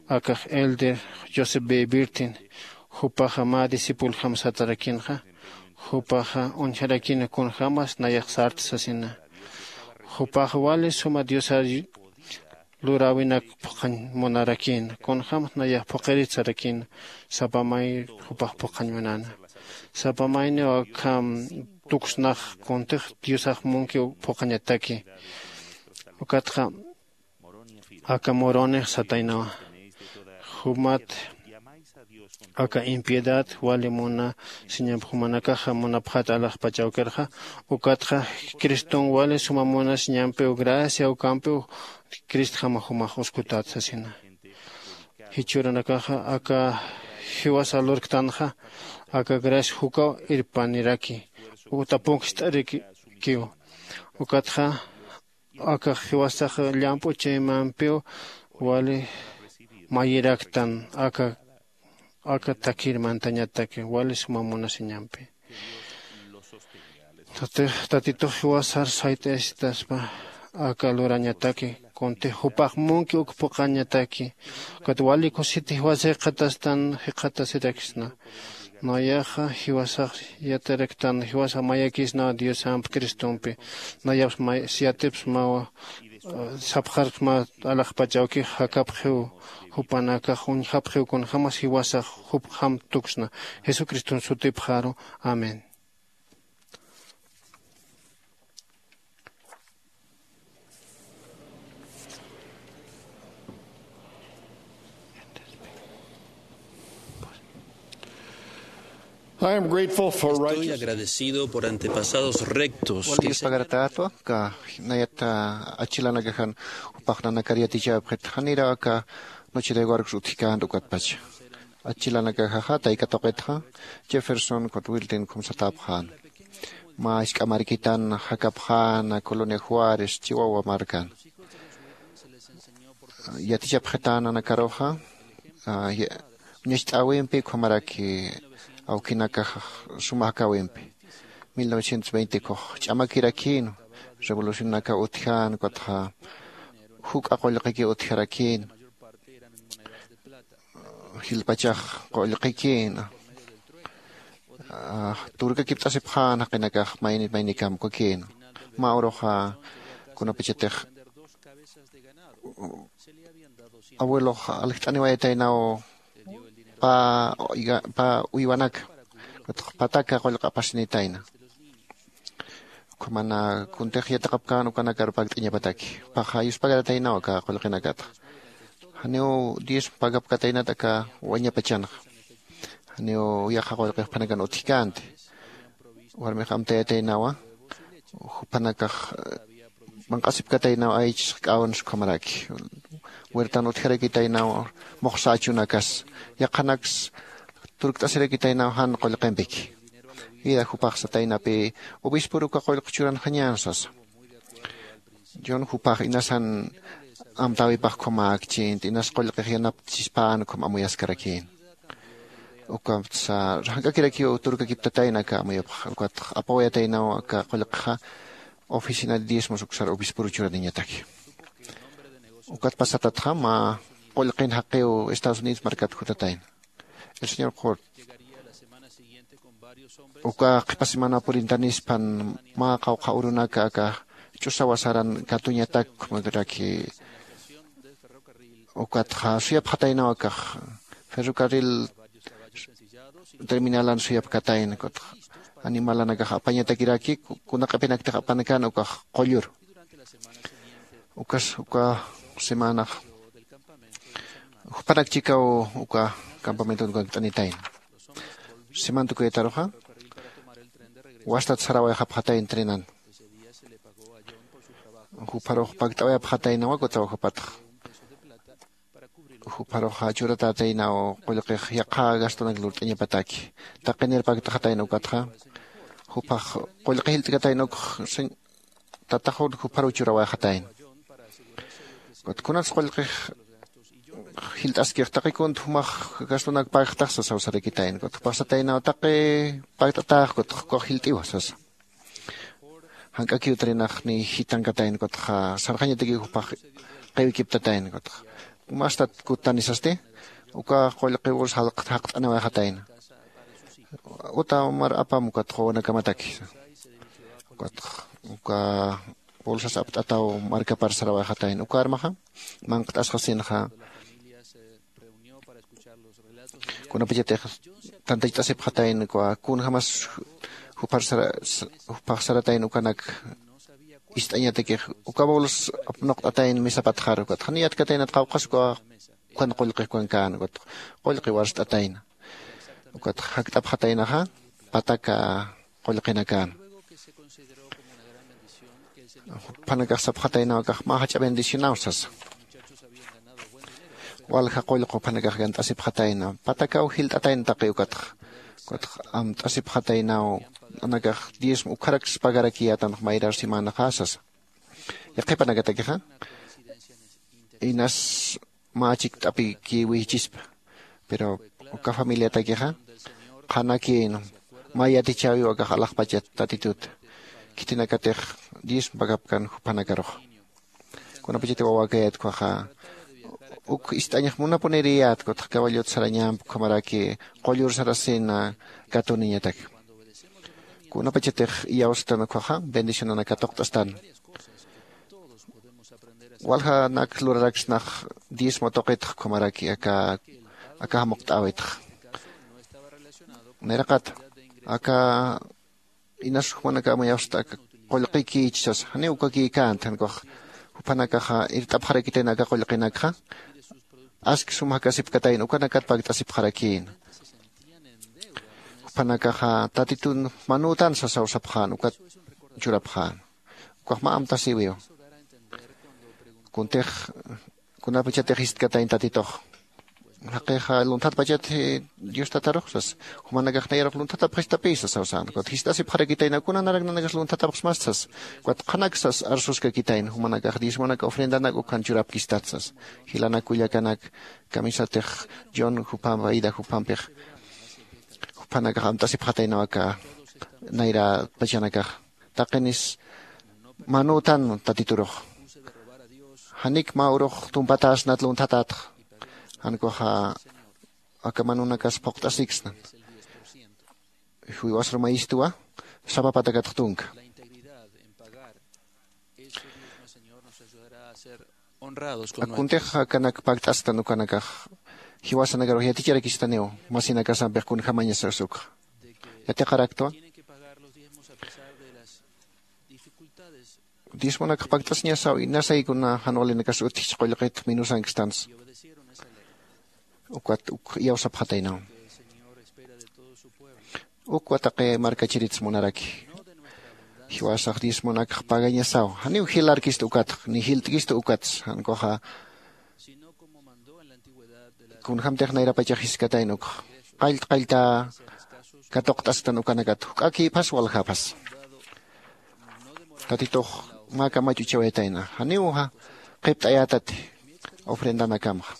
akax elder joseph b birtin jupaxa mä discipuljam satarakinxa jupaxa uñjarakina kunjämas nayax sarta sasina. Jupax wali suma diosar luräwinak phuqhañ munarakïna kunjämas nayax phuqirit sarakïna. Sapa may jupax phuqhañ munäna sapa mayniw akham tuksnax kuntix diosax munkiw phuqhañataki. Ukatxa aka muronix sataynawa jumat aka impiedad wali munasiñamp jumanakaxa munapxät alaxpach awkirxa ukatxa criston wali suma munasiñampiw gracia ukampiw cristjama jumax uskutät sasina. Jichhüranakaxa aka jiwasa lurktanxa aka gracia jukaw irpaniraki uta punkt'arikiw. Ukatxa aka jiwasax llamp'u chaymampiw wali mayiraktan aka aka takir mantañataki wali suma munasiñampi. Tatitux jiwasar sayt'ayasitaspa aka lurañataki kunti jupax munki uk puqañataki. Ukat wali kusiti jiwasa jikxatastan jikxatasiraksna. Nayaxa jiwasax yatiraktan jiwasa mayakisnaw diosamp cristompi. Nayaps may siyatipsmawa sapxarksma alaxpach awkix jakapxiw jupanakax uñjapxiw kunjämas jiwasax jupjam tuksna. Jesucriston sutipxaru. Amén. I am grateful for Estoy righteousness. Agradecido por antepasados rectos. Wali que se- Diospagaratato ka nayata achilanakaxan jupaxnanakar yatichapxit janira ka noche de guarcos utjikänta ukatpacha. Achilanakaxaxa taykatuqitxa Jefferson kut Wilton khumsatapxän. Mä isk'amarkitan jakapxäna Colonia Juárez Chihuahua markan. Yatichapxitänanakaruxa uñacht'äwimpi ukhamaraki awkinakax suma jakäwimpi. Mil novecientos veinte kux ch'amakirakïn revolucionaka utjän ukatxa juk'a qullqiki utjarakïn. Jilpachax qullqikïn turkakipt'asipxän jaqinakax mayni maynikam ukakïn. Mä uruxa kunapachatix abuelox aljt'aniwayataynaw pä uywanaka pataka qullqi apasinitayna. Ukhamana kuntix yatiqapkän ukanakar pakt'añapataki paxa yuspagarataynaw aka qullqinakata. Janiw diezmo pagapkataynat aka wañapachanxa. Janiw yaqa qullqix phanakan utjkänti. Warmix amtayataynawa juphanakax manq'asipkataynaw aychis k'awans ukhamaraki. Huertan utjarakitaynaw muxsa achunakas yaqhanaks turkt'asirakitaynaw jan qullqimpiki. Ida jupax sataynapi obispor uka qullqi churanxañän sasa. John jupax inasan amtäwipax ukhamäkchint inas qullqix yanapt'asispän ukham amuyaskarakïn. Ukatsa jank'akirakiw turkakiptatayna aka amuyapxa ukatx apawayataynaw aka qullqixa oficina de diezmos uksar obispor churaniñataki. Ukat pasatatxa mä qullqin jaqiw Estados Unidos markat jutatayna. El señor Hort uka qhipa semana purintanispan mä qawqha urunaka aka ch'usawa saran katuñatak ukhamaraki. Ukatxa suyapxataynaw akax ferrocarril terminalan suyapkatayna ukatxa animalanakax apañatakiraki kuna q'ipinaktix apanakän ukax qullur. Ukas uka semanax jupanak chikaw uka campamenton ukankt'anitayna. Seman tukuyataruxa wastat sarawayxapxatayna trenan. Jupharux pakt'awayapxataynawa kutaw jupatxa. Jupharuxa churatätaynaw qullqix yaqha gastonak lurt'añapataki. Taqinir pakt'axatayna ukatxa jupax qullqi jilt'katayna ukx tataxun jupharuw churawayxatayna. Kunats qullqix jilt'askix taqi kunt jumax gastonak pagxtax sasaw sarakitayna kut jupax sataynaw taqi pagt'atax kut jukax jilt'iwa sasa. Jank'akiw trinax ni jitankatayna kutxa sarxañatakiw jupax qiwikiptatayna kutxa mastat kuttani sasti uka qullqi bolsa jaqt'aniwayxatayna. Uta mar apam ukatxa wawanakamataki ukatxa uka bolsas apt'ataw markapar sarawayxatayna uka armaxa manqt'asxasinxa. Kunapachatix tantachasipxatayna uka kunjämas jupax saratayna ukanak ist'añatakix uka bols apnuqt'atayna misapatxar ukatxa niyatkataynat qawqhas uka ukan qullqi ukankän ukatxa qullqi warst'atayna. Ukatxa jakt'apxataynaxa pataka qullqinakän. Juphanakax sapxataynaw akax mä jach'a bendicionaw sasa. Walja qullqi juphanakax gant'asipxatayna patakaw jilt'atayna taqi ukatxa ukatxa amt'asipxataynaw nanakax diezmo ukharaks pagarakiyätanx mayrar semanaxa sasa. Yaqhipanakatakixa inas mä chikt'apikiw wijchispa Pero uka familiatakixa qhanakïn mä yatichäwiw akax alaxpachat tatitut khitinakatix diezmo pagapkan juphanakarux. Kunapachatix wawäkayät ukkhaxa uk ist'añax munapuniriyät kutxa caballot sarañamp ukhamaraki qullur sarasina katuniñatak. Kunapachatix iyawstan ukkhaxa bendicionanak katuqt'astan. Waljanak luraraksnax diezmo tuqitx ukhamaraki aka aka jamuqt'äwitx. Nayraqat aka inas jumanaka amuyapxsta aka qullqikïch sasa janiw ukakïkänti jan ukax juphanakaxa irt'apxarakitayna aka qullqinakxa aski sum jakasipkatayna ukanakat pakt'asipxarakïna. Juphanakaxa tatitun manütan sasaw sapxän ukat churapxän. Ukax mä amtasïwiw kuntix kunapachatix jistkatayna tatitux jaqixa lunthatpachat dios tatarux sasa. Jumanakax nayarux lunthatapxistapï sasaw sän ukat jist'asipxarakitayna kuna narak nanakas lunthatapxsmasta sasa. Ukat qhanaksas arsuskakitayna jumanakax diezmonak ofrendanak ukhan churapkistat sasa. Jilanak kullakanak kamisatix john juphamp aida juphampix juphanakax amt'asipxataynaw aka nayra pachanakax taqinis manütan tatiturux. Janik mä urux tumpatäsnat lunthatätxa jan ukaxa aka manünakas phuqt'asiksna. Jiwasar mayistuwa sapa patakatx tunka akuntix akanak pakt'astan ukanakax jiwasanakarux yaticharakistaniw masinakasampix kunjämañasas ukxa. Yatiqaraktwa diezmonakx pakt'asiñasaw inasaykuna jan walinakas utjich qullqit minusankstansa. Ukat uk iyawsapxataynaw ukwa taqi markachiritsa munaraki jiwasax diezmonakx pagañasaw janiw jilarkistu ukatx ni jilt'kistu ukatsa jan ukaxa kunjämtix nayrapachax jiskatayna ukxa qallta qallta katuqt'astan ukanakat juk'akïphas waljapxas. Tatitux mä kamach uchawayatayna janiw qhipt'ayätati ofrendanakamxa.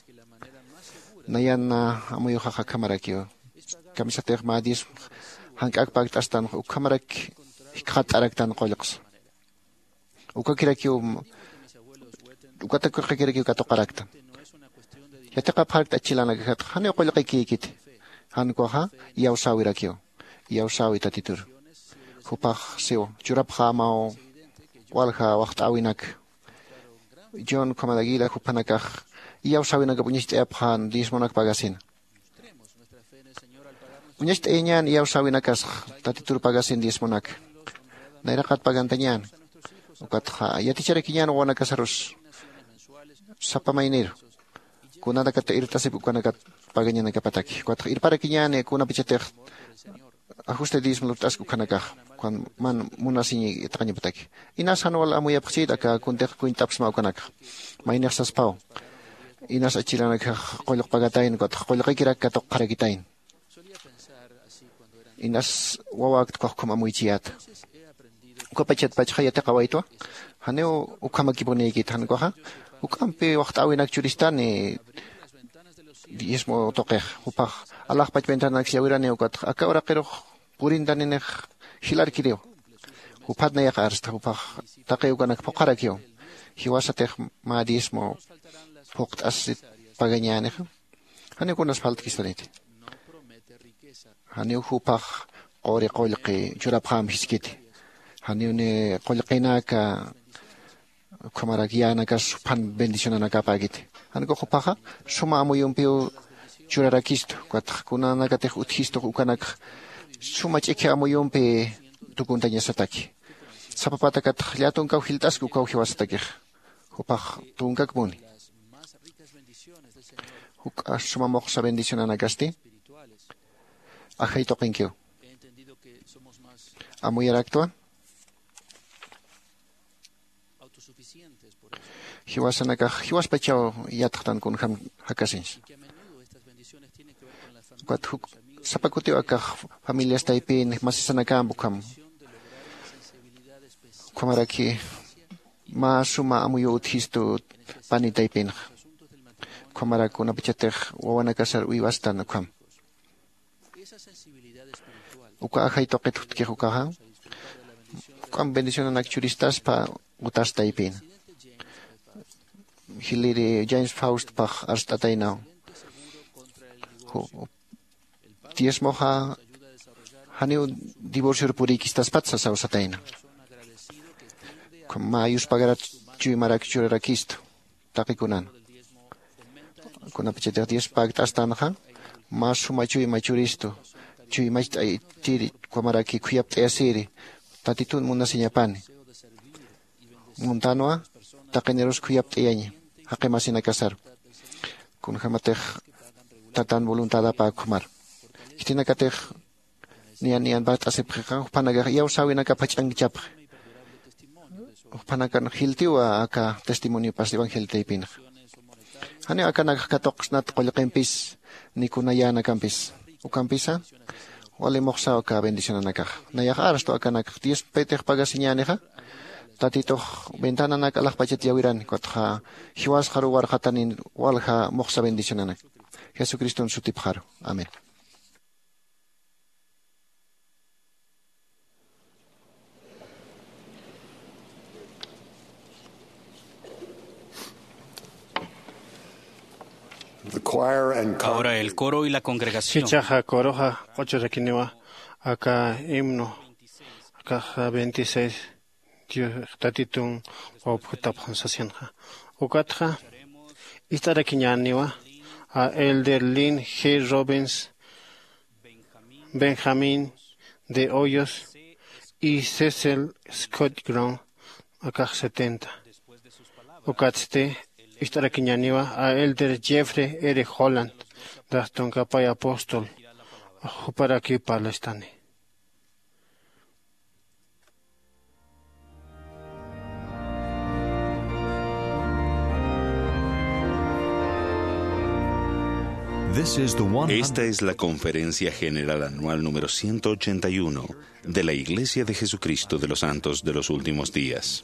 Nayan amuyuxax akhamarakiw kamisatix mä diezmo jank'ak pakt'astanxa ukhamarak jikxatt'araktan qullqsa. Ukakirakiw ukatakirqakirakiw katuqaraktan. Yatiqapxarakta achilanakajatxa janiw qullqikïkiti jan ukaxa iyawsäwirakiw iyawsäwi tatitur. Jupax siw churapxämaw walja waxt'äwinak. John ukhamat aguila juphanakax iyawsäwinakap uñacht'ayapxän diezmonak pagasina. Uñacht'ayañän iyawsäwinakasax tatitur pagasin diezmonaka. Nayraqat pagantañän ukatxa yaticharakiñän wawanakasarus sapa mayniru kunanakat irt'asip ukanakat pagañanakapataki ukatxa irparakiñäni kunapachatix ajuste diezmo lurt'ask ukhanakax ukan man munasiñi itqañapataki. Inas jan wal amuyapxchït aka kuntix kuñt'apxsma ukanakax maynix saspaw inas achilanakax qullq pagatayna ukatxa qullqikirak katuqxarakitayna. Inas wawäkt ukax ukham amuychiyäta. Ukapachatpachxa yatiqawaytwa janiw ukhamakipunïkit jan ukaxa juk'ampi waxt'äwinak churistani diezmo tuqix jupax alaxpach ventanak yawirani ukatxa aka uraqirux purintaninix jilarkiriw. Juphat nayax arsta jupax taqi ukanak phuqharakiw jiwasatix mä diezmo phuqt'asit pagañänixa. Janiw kunas faltkistaniti janiw jupax quri qullqi churapxäm jiskiti. Janiw ni qullqinaka ukhamarak yänakas juphan bendicionanakapäkiti. Jan ukax jupaxa suma amuyumpiw churarakistu ukatxa kunanakatix utjistux ukanakxa suma ch'ikhi amuyumpi tukuntañasataki. Sapa patakatxa llätunkaw jilt'aski ukaw jiwasatakixa jupax tunkakpuni. Juk'a suma muxsa bendicionanakasti ajay tuqinkiw. Amuyaraktwa jiwasanakax jiwaspachaw yatxtan kunjäm jakasiñsa. Ukat juk sapa kutiw akax familias taypin masisanakämp ukham ukhamaraki mä suma amuyuw utjistu pani taypinxa. Ukhamarak kunapachatix wawanakasar uywastan ukham. Uka ajay tuqit jutkix ukaxa, juk'amp bendicionanak churistaspa utastaypïna. Jiliri James Faustpax arst'ataynaw. Ju-, diezmoxa janiw divorcior purïkistaspat sasaw satayna. Mä yuspagarat chuymarak churarakistu taqikunan. Kunapachatix diez pakt'astanxa, mä suma chuyma churistu, chuymacht'aytiri, ukhamaraki khuyapt'ayasiri, Tatitun munasiñapani. Muntanwa, taqinirus khuyapt'ayaña, jaqi masinakasaru. Kunjämatix Tatan voluntadapa ukhamar. Khitinakatix niyan niyan pajt'asipxixa, juphanakax iyawsäwinakap jach'ankchapxi. Juphanakan jiltiwa aka testimoniopas evangelio taypinxa. Janiw akanakax katuqsnat qullqimpis, ni kuna yänakampis. Ukampisa, wali muxsaw aka bendicionanakax. Nayax arstu akanakax diez petix pagasiñänixa, Tatitux ventananak alaxpachat llawirani, ukatxa jiwasxaru warqatanin walja muxsa bendicionanak. Jesucriston sutipxaru. Amén. The choir and Ahora el coro y la congregación. Jichhaxa coroxa q'uchurakiniwa aka himno, akaxa veintiséis, Dios Tatitun wawpjutapxan sasinxa. Ukatxa ist'arakiñäniwa a Elder Lynn G. Robbins, Benjamín de Hoyos y Cecil Scott Grant, akax setenta. Ukatsti ist'arakiñäniwa a Elder Jeffrey R. Holland, dax tunkapay apóstol, juparakiw parlastani. This is the one hundred Esta es la Conferencia General Anual número ciento ochenta y uno de la Iglesia de Jesucristo de los Santos de los Últimos Días.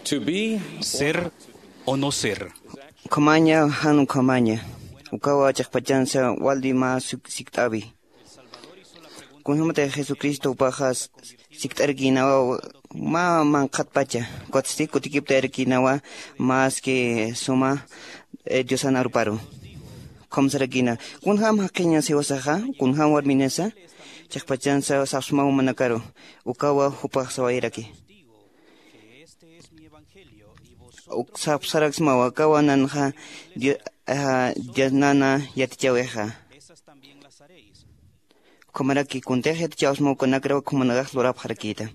To be ser o no ser. Ukhamaña, jan ukhamaña. Ukawa chiqpachansa wali mä suk-, sikt'awi. Kunjämatix Jesucristo jupaxa s-, sikt'arkïnawa mä manqhatpacha. Kutsti kutikipt'arkïnawa más que suma, eh, Diosan aruparu. Ukham sarakïna. Kunjäm jaqiñas jiwasaxa, kunjäm warminasa, chiqpachansa sapsmaw jumanakaru. Ukawa jupax sawayraki. Uk sapsaraksmawa, akawa nanxa Di-, ah, Diosnana yatichäwixa. Ukhamaraki kuntix yatichäwsma ukanakra, ukhamanakax lurapxarakïta.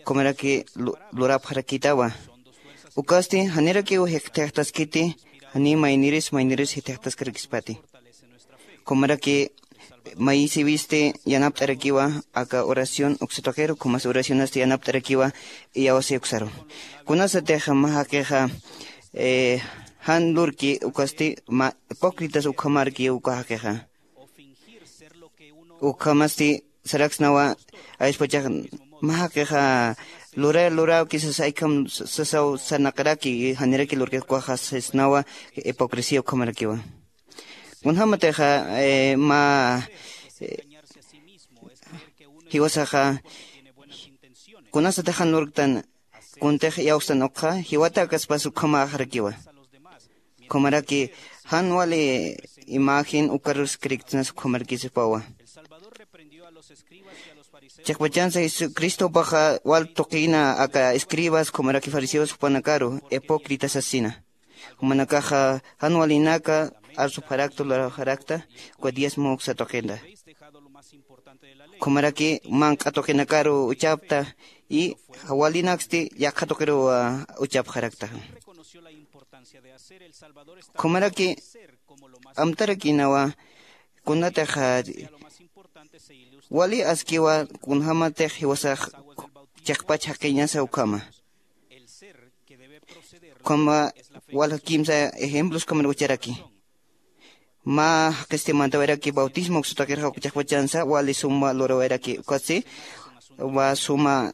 Ukhamaraki lu-, lurapxarakïtawa. Ukasti janirakiw jik-, jikxataskiti, jani mayniris, mayniris jikxataskarakïspati. Ukhamaraki mayisiwisti yanapt'arakiwa aka oración uksa tuqiru, ukhamas oracionasti yanapt'arakiwa iyawsi uksaru. Kunasatix mä jaqixa, eh, jan lurki ukasti mä hipócritas ukhamarki uka jaqixa. Ukhamasti saraksnawa, ayspachax mä jaqixa lura-, luräwki sasa, aykham s-, sasaw sarnaqaraki, janiraki lurki ukaxa sisnawa, hipocresía ukhamarakiwa. Kunjämatixa, eh, mä, eh, jiwasaxa, kunasatix jan lurktan, kuntix iyawstan ukxa, jiwatäkaspas ukhamäxarakiwa. Ukhamaraki jan wali imagen ukarus creyentesnas ukhamarkisipawa. Chiqpachansa Jesucristopaxa wal tuqïna aka escribas, ukhamaraki fariseos jupanakaru, hipócritas sasina. Jumanakaxa jan walinaka arsupxarakta, lurapxarakta, uka diezmo uksa tuqinta. Ukhamaraki manq'a tuqinakaru uchapta, y walinaksti yaqha tuqiruw, ah, uchapxarakta. Ukhamaraki amtarakïnawa, kunatix, ah, wali askiwa, kunjämatix jiwasax chiqpach jaqiñasa ukhama. Ukhama walja kimsa ejemplos ukhamar ucharaki. Mä jaqisti mantawayraki bautismo uksa tuqirxa, uk chiqpachansa wali suma lurawayraki, ukatsti mä suma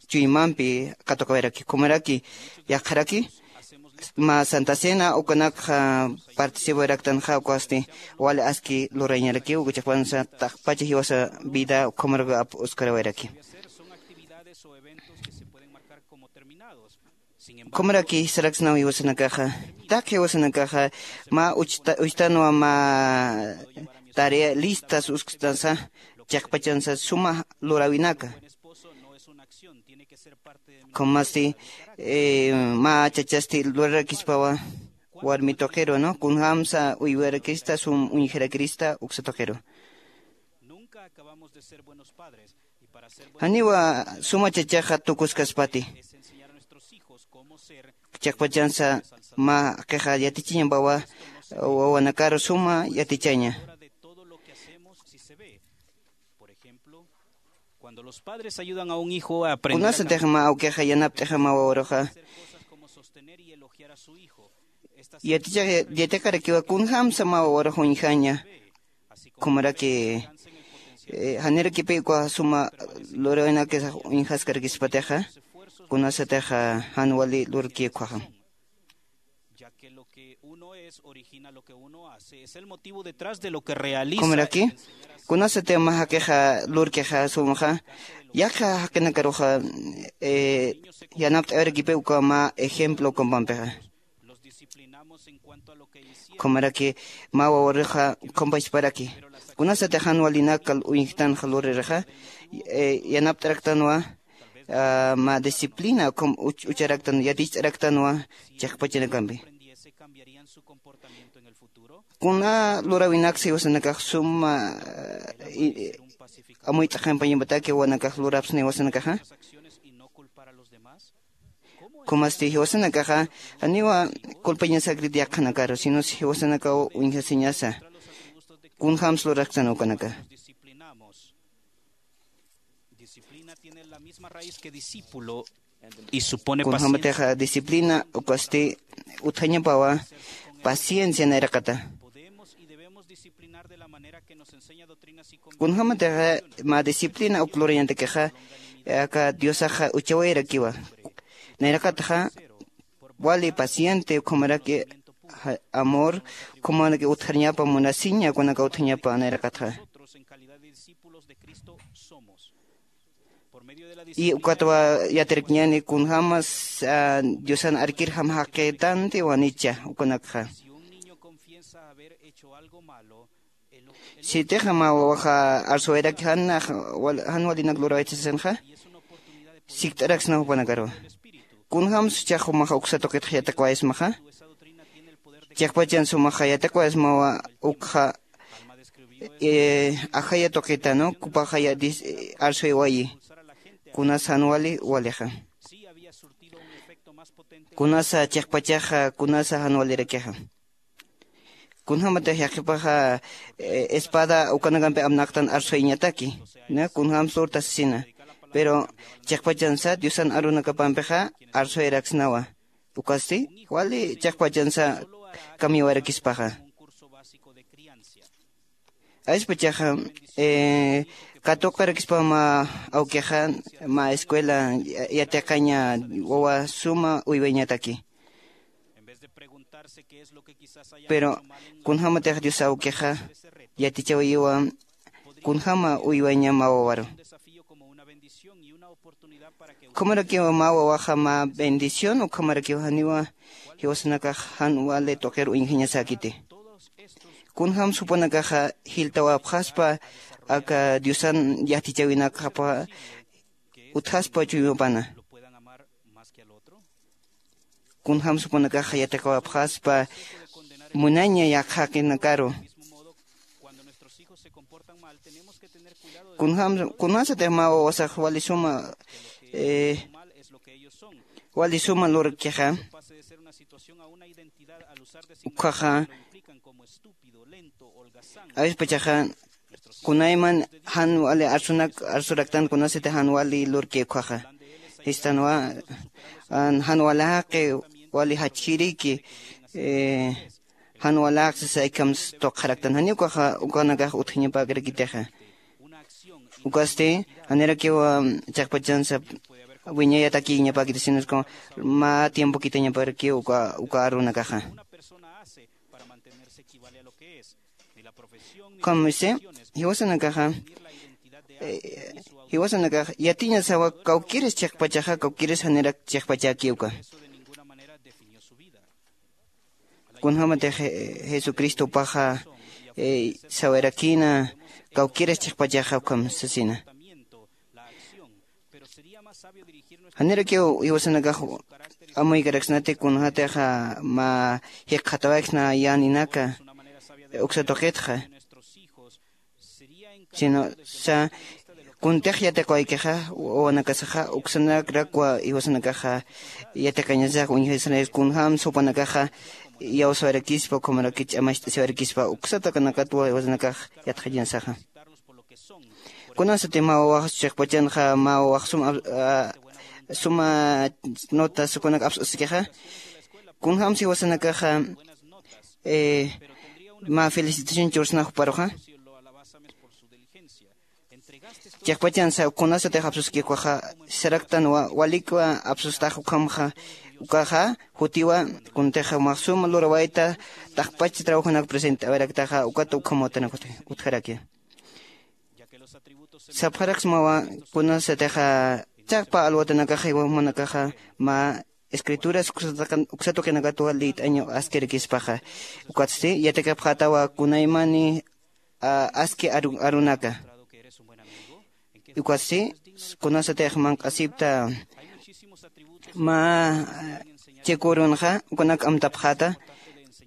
chuymampi katuqawayraki. Ukhamaraki yaqharaki mä Santa Cena ukanakxa participawayraktanxa, ukasti wali aski lurañaraki, uk chiqpachansa taqpacha jiwasa vida ukhamar ap-, uskarawayraki. Ukhamaraki saraksnaw jiwasanakaxa, taqi jiwasanakaxa mä uchta-, uchtanwa mä tarea listas usktansa, chiqpachansa suma luräwinaka. Ukhamasti, eh, mä chachasti lurarakispawa warmi tuqiru, ¿no? Kunjämsa uywarakista, sum uñjarakista uksa tuqiru. Janiwa suma chachaxa tukuskaspati. Chiqpachansa mä jaqixa yatichiñampawa wawanakaru suma yatichaña. Kunasatix mä awkixa yanapt'ixa mä wawaruxa, yaticha-, yatiqarakiwa kunjämsa mä wawarux uñjaña. Ukhamaraki, eh, janirakipï uka suma luräwinakisa uñjaskarakïspatixa, kunasatixa jan wali lurki ukkhaxa. Ukhamaraki, kunasati mä jaqixa lurkixa sumxa, yaqha jaqinakaruxa, eh, yanapt'awarakipï uka mä ejemplo ukampampixa. Ukhamaraki mä wawaruxa ukhampachparaki. Kunasati jan walinaka uñjktanxa luririxa, eh, yanapt'araktanwa, ah, mä disciplina ukham uch-, ucharaktan, yaticht'araktanwa chiqpachanakampi. Kuna luräwinaksa jiwasanakax suma, ah, i-, i-, amuyt'aqimpañampataki wawanakax lurapsna jiwasanakaxa. Ukhamasti jiwasanakaxa, janiwa culpañasakrit yaqhanakaru, sino jiwasanakaw uñjasiñasa. Kunjämsa lurasktan ukanaka. Kunjämatixa disciplina ukasti utjañapawa paciencia nayraqata. Kunjämatixa mä disciplina uk lurañatakixa, aka Diosaxa uchawayarakiwa. Nayraqatxa wali paciente ukhamaraki amor, ukhamaraki utjarñapa munasiña kunaka utjañapa nayraqatxa. Y ukatwa yatirakñani kunjamas diosan arkir jam jaqitanti wanicha ukanakxa. Sitixa mä wawaxa arsuwayrak jan walinak lurawaytasasinxa, sikt'araksna jupanakaruwa. Kunjam suchax jumaxa uksa tuqitxa yatiqawayasmaxa, chiqpachan sumaxa yatiqawayasmawa ukxa ajaya tuqitanu kupaxa arsuwaywayi. Kunasa jan wali walixa, kunasa chiqpachaxa kunasa jan walirakixa. Kunjämatix yaqhipaxa espada ukanakampi amnaqtan arsuwayañataki, kunjämsa lurtasisina. Pero chiqpachansa diosan arunakapampixa arsuwayaraksnawa. Ukasti wali chiqpachansa kamyawayrakispaxa. Ayspachaxa katuqarakispa mä awkixa mä escuela yatiqaña wawa suma uywayañataki. Pero kunjämatix dios awkixa yatichawayiwa kunjäma uywaña mä wawaru. Ukhamarakiwa mä wawaxa mä bendición ukhamarakiwa janiwa jiwasanakax jan wali tuqir uñjañasäkiti. Kunjämsa jupanakaxa jiltawapxaspa aka diosan yatichäwinakxapa utjaspa chuymapana. Kunjämsa jupanakaxa yatiqawapxaspa munaña yaqhaqinakaru. Kunjämsa kunasatix mä wawasax wali suma wali suma lurkixa, ukhaxa awispachaxa kunayman jan wali arsunak arsuraktan kunasatix jan wali lurki ukhaxa. Jistanwa jan wali jaqi wali jachjiriki jan wali jaqi sasa ikhams tuqxaraktan janiw ukaxa ukanakax utjañapäkarakitixa. Ukasti janirakiwa chiqpachansa wiñayatakiñapäkiti sinusku mä tiempo kitañaparakiw uka arunakaxa. Ukham misi jiwasanakaxa jiwasanakax yatiñasawa kawkiris chiqpachaxa kawkiris janirak chiqpachäki uka. Kunjämatix jesucristopaxa sawayarakïna kawkiras chiqpachaxa ukham sasina. Janirakiw jiwasanakax amuykaraksnati kunjätixa mä jikxatawaykna yäninaka uksa tuqitxa. Sino sa kuntix yatiqawaykixa wawanakasaxa uksanakrakwa jiwasanakaxa yatiqañasax uñjasnayas kunjämsa jupanakaxa iyawsawarakispa ukhamaraki ch'amacht'asiwarakispa uksata kanakatwa jiwasanakax yatxañasaxa. Kunasati mä wawax chiqpachanxa mä wawax suma suma notas ukanak aps'uskixa kunjämsa jiwasanakaxa mä felicitación chursna juparuxa. Chiqpachansa kunasatix apsuski ukaxa saraktanwa walikwa apsustax ukhamxa ukaxa jutiwa kuntixa umax suma lurawayta taqpach trabajonak presentawayraktaxa ukata ukham watanak utjaraki. Sapxaraksmawa kunasatixa chiqpa alwatanakaxa iwamanakaxa mä escrituras uksa tuqinakatwa lït'añaw askirakispaxa. Ukatsti yatiqapxätawa kunaymani aski arunaka. Ukatsti kunasatix manq'asipta mä chikürunxa ukanak amtapxäta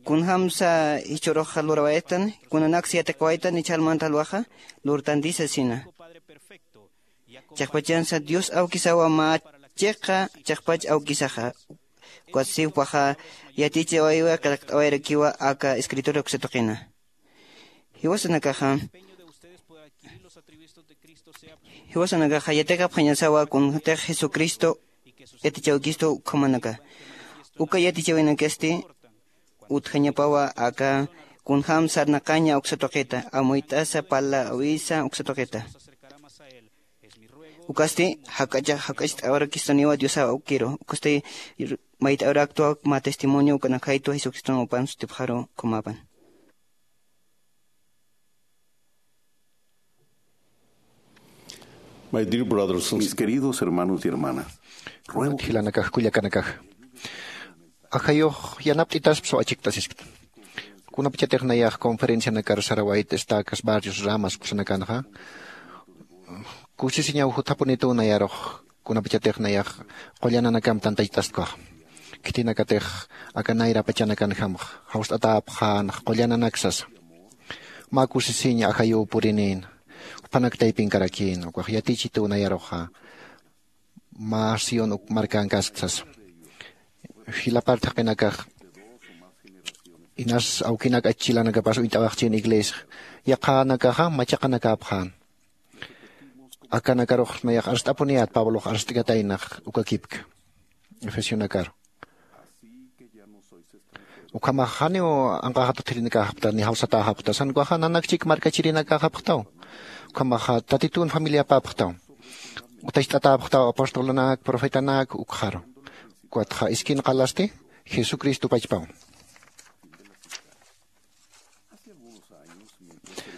kunjämsa jichhüruxa lurawaytan kunanaksa yatiqawaytan jichhärmanta jalwaxa lurtantisa sina. Chiqpachansa dios awkisawa mä chiqa chiqpach awkisaxa. Ukatsti jupaxa yatichawaywa qillqt'awayrakiwa aka escritura uksa tuqina. Jiwasanakaxa jiwasanakaxa yatiqapxañasawa kunjätix jesucristo yatichawkistu ukhamanaka. Uka yatichawinakasti utjañapawa aka kunjäm sarnaqaña uksa tuqita amuyt'asa parlawisa uksa tuqita. Ukasti jak'acha jak'acht'awarakistuniwa diosa ukiru. Ukasti mayt'awraktwa mä testimonio ukanakhaytwa jesucriston upan sutipxaru. Khumapan. My dear brothers and sisters, mis queridos hermanos y hermanas, ruego que jilanakax kullakanakax, ajayux yanapt'itaspa saw achikt'asiskta. Kunapachatix nayax conferencianakar sarawayta estacas barrios ramas kusanakanxa, kusisiñaw juthapunituw nayarux kunapachatix nayax qullananakam tantachtaskwax. Khitinakatix aka nayra pachanakanjamx jawst'atäpxänx qullananaksas. Mä kusisiñ ajayuw purinïn, juphanak taypinkarakïn ukax yatichituw nayaruxa mä sión uk markankasktas. Jilapart jaqinakax inas awkinak achilanakapas uñt'awaxchïn iglesia yaqhanakaxa machaqanakäpxän. Akanakarux nayax arst'apuniyät pablox arst'kataynax ukakipka efesionakaru. Ukhamax janiw anqaxat utjirinakäxapta ni jawsatäxapta sankwaxa nanakchik markachirinakäxapxtaw. Ukhamaxa tatitun familiapäpxtaw. Utacht'atäpxtaw apostolunak profetanak ukxaru. Ukatxa iskin qalasti jesucristo pachpaw.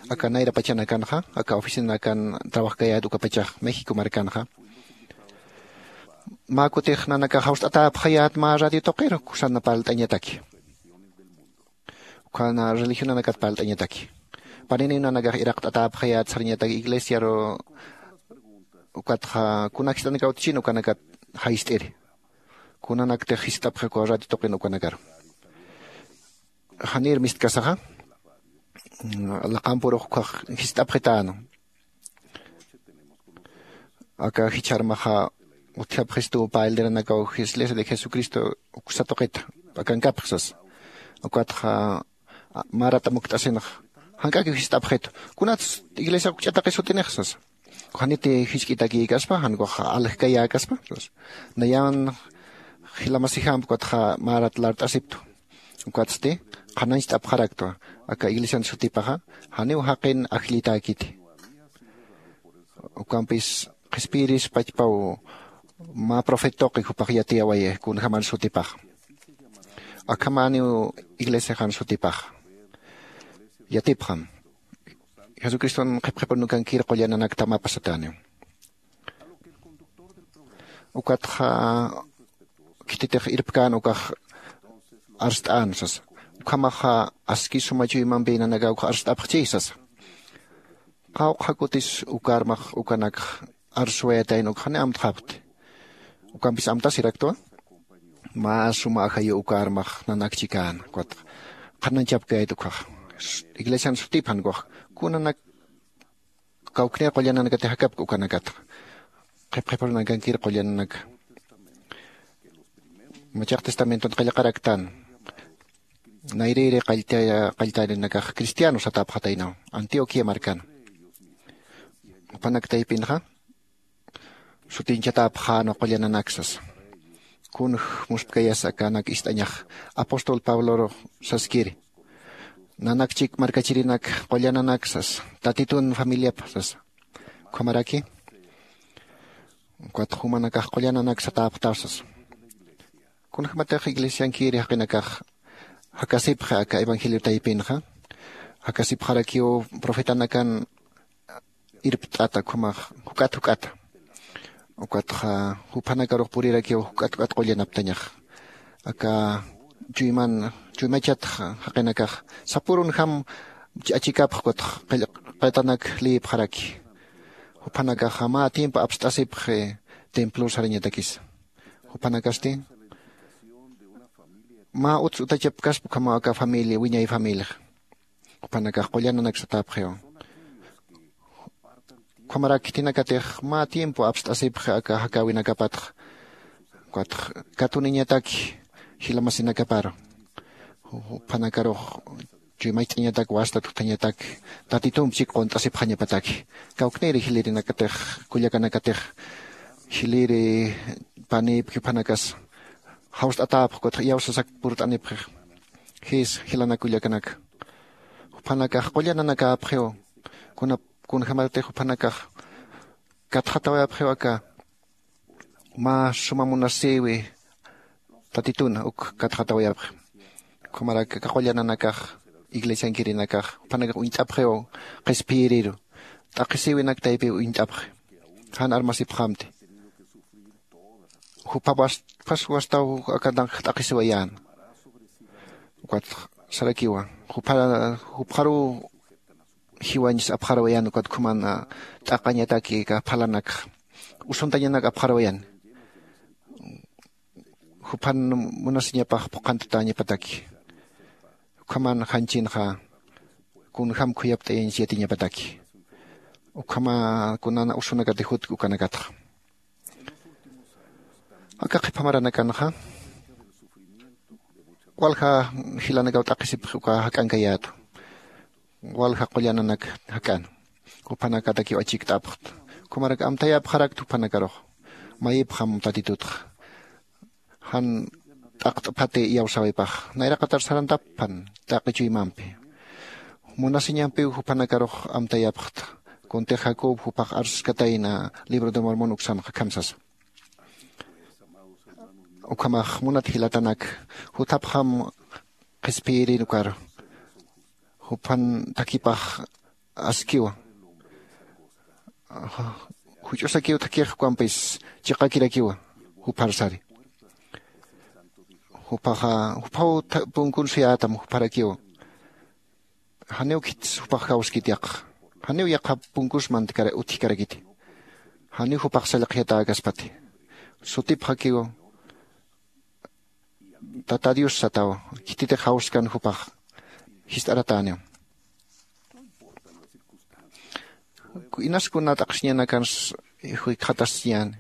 Aka nayra pachanakanxa aka oficinakan trabajkayät ukapachax méxico markanxa mä kutix nanakax jawst'atäpxayät mä radio tuqiru kusana parlt'añataki. Ukhana religionanakat parlt'añataki. Paniniw nanakax iraqt'atäpxayät sarañataki iglesiaru. Ukatxa kunak jist'anakaw utjchin ukanakat jayist'iri kunanaktix jist'apxi ukaw radio tuqin ukanakaru. Janir mistkasaxa laqampurux ukkhax jist'apxitäna. Aka jichharmaxa utjapxistuw payliranakaw iglesia de jesucristo uksa tuqita akankapxsas. Ukatxa marat amukt'asinxa jank'akiw jist'apxitu kunats iglesia ukch'ataqis jutinixsas. Janiti jisk'itakïkaspa jankwax aljkayäkaspa. Nayan jilamasijamp ukatxa marat lart'asiptu. Ukatsti qhanañcht'apxaraktwa aka iglesian sutipaxa janiw jaqin ajllitäkiti. Ukampis qhispiyiris pachpaw mä profeta tuqi jupax yatiyawayix kunjämar sutipaxa. Akhamäniw iglesiaxan sutipaxa yatipxam. Jesucriston qhipqhipunukankir qullananakta mä pasatäniw. Ukatxa khititix irpkän ukax arst'än sasa. Ukhamaxa aski suma chuymampï nanakaw ukax arst'apxchi sasa. Qawqha kutis ukarmax ukanakx arsuwayatayna ukxani amtxapxti. Ukampis amtasiraktwa mä suma ajayu ukarmax nanakchikäna ukatxa qhananchapkayat ukkhax iglesian sutipxan ukax kunanak kawknir qullananakati jakapki ukanakatxa qhipqhipurunakankir qullananaka. Machaq testamenton qillqaraktan nayrïri qalltarinakax cristiano satäpxataynaw antioquia markana. Jupanak taypinxa sutinchatäpxäna qullananaksas. Kunj muspkayas akanak ist'añax apóstol pablorux saskiri nanakchik markachirinak qullananaksas tatitun familiapxsas. Ukhamaraki ukatxa jumanakax qullananaksatäpxtasas. Kunjämatix iglesiankiri jaqinakax jakasipxi aka evangelio taypinxa jakasipxarakiw profetanakan irpt'ata ukhamax juk'at juk'ata. Ukatxa juphanakarux purirakiw juk'at juk'at qullanaptañax aka chuyman chuymachatx jaqinakax sapürunjam achikapx ukatx qillqatanak liyipxaraki. Juphanakaxa mä tiempo apst'asipxi templor sarañatakisa. Juphanakasti mä uts utachapkaspa ukhamaw aka familia wiñay familiax. Juphanakax qullananaksatäpxiw. Ukhamarak khitinakatix mä tiempo apst'asipxi aka jakäwinakapatx ukatx katuniñataki jilamasinakaparu. Juphanakarux chuymacht'añatak wastat juthañatak tatitump chik qunt'asipxañapataki. Kawkniri jilirinakatix kullakanakatix jiliri panïp juphanakas jawst'atäpxi ukatx iyawsasak purt'anipxix. Jis jilanak kullakanaka juphanakax qullananakäpxiw. Kunjämatix juphanakax Katxatawayapxiw aka mä suma munasïwi tatituna uk katxatawayapxi. Ukhamarak aka qullananakax iglesiankirinakax jupanakax uñt'apxiw qhispiyiriru t'aqhisïwinak taypiw uñt'apxi. Jan armasipxamti. Jupapas wastaw akantanx t'aqhisiwayän. Ukat sarakiwa jupxaruw jiwañs apxarawayän ukat khuman t'aqañataki aka phalanakxa usuntañanak apxarawayän. Juphan munasiñapax phuqhantatäñapataki. Ukhaman janchinxa kunjam khuyapt'ayañs yatiñapataki. Ukhama kunana usunakati jutki ukanakatxa. Aka qhipa maranakanxa walja jilanakaw t'aqhisipxi uka jak'ankayätu. Walja qullananak jak'an juphanakatakiw achikt'apxta. Ukhamarak amtayapxarakta juphanakarux mayipxam tatitutxa jan t'aqt'phati iyawsäwipax nayraqatar sarantapxpan t'aqi chuymampi. Munasiñampiw jupanakarux amtayapxta. Kuntix jacob jupax arskatayna libro de mormon uksanxa akham sasa. Ukhamax munat jilatanak juthapxam qhispiyirin ukaru juphan thakipax askiwa. Juch'usakiw thakix ukampis chiqakirakiwa jupharsari. Juphaxa juphaw punkun suyätam jupharakiwa. Janiw khitsa jupax jawskit yaqha janiw yaqha punkus mantkara utjkarakiti. Janiw jupax sallqjiyatäkaspati sutipxakiw. Tata dios sataw khititix jawskan jupax jist'aratäniw. Inaskuna t'aqhisiñanakans jikxatasñäni.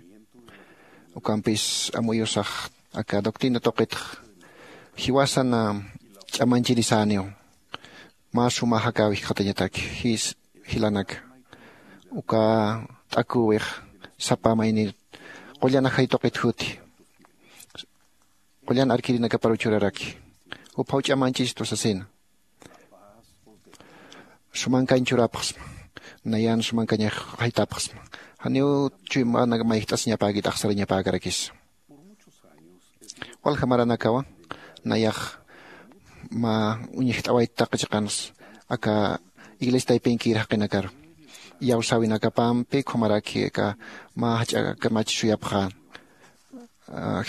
Ukampis amuyusax aka doctrina tuqitx jiwasan ch'amanchirisäniw. Mä suma jakäw jikxatañataki jis jilanaka uka t'akuwix sapa maynir qullan ajay tuqit juti qullan arkirinakaparuw churaraki. Juphaw ch'amanchistu sasina sumankañ churapxsma. Nayan sumankañax jaytapxsma. Janiw chuymanak mayjt'asiñapäkit axsarañapäkarakis. Walja maranakawa nayax mä uñjt'awayt taqi chiqansa aka iglesia taypinkir jaqinakaru iyawsäwinakapampi ukhamaraki aka mä jach'a kamach suyapxän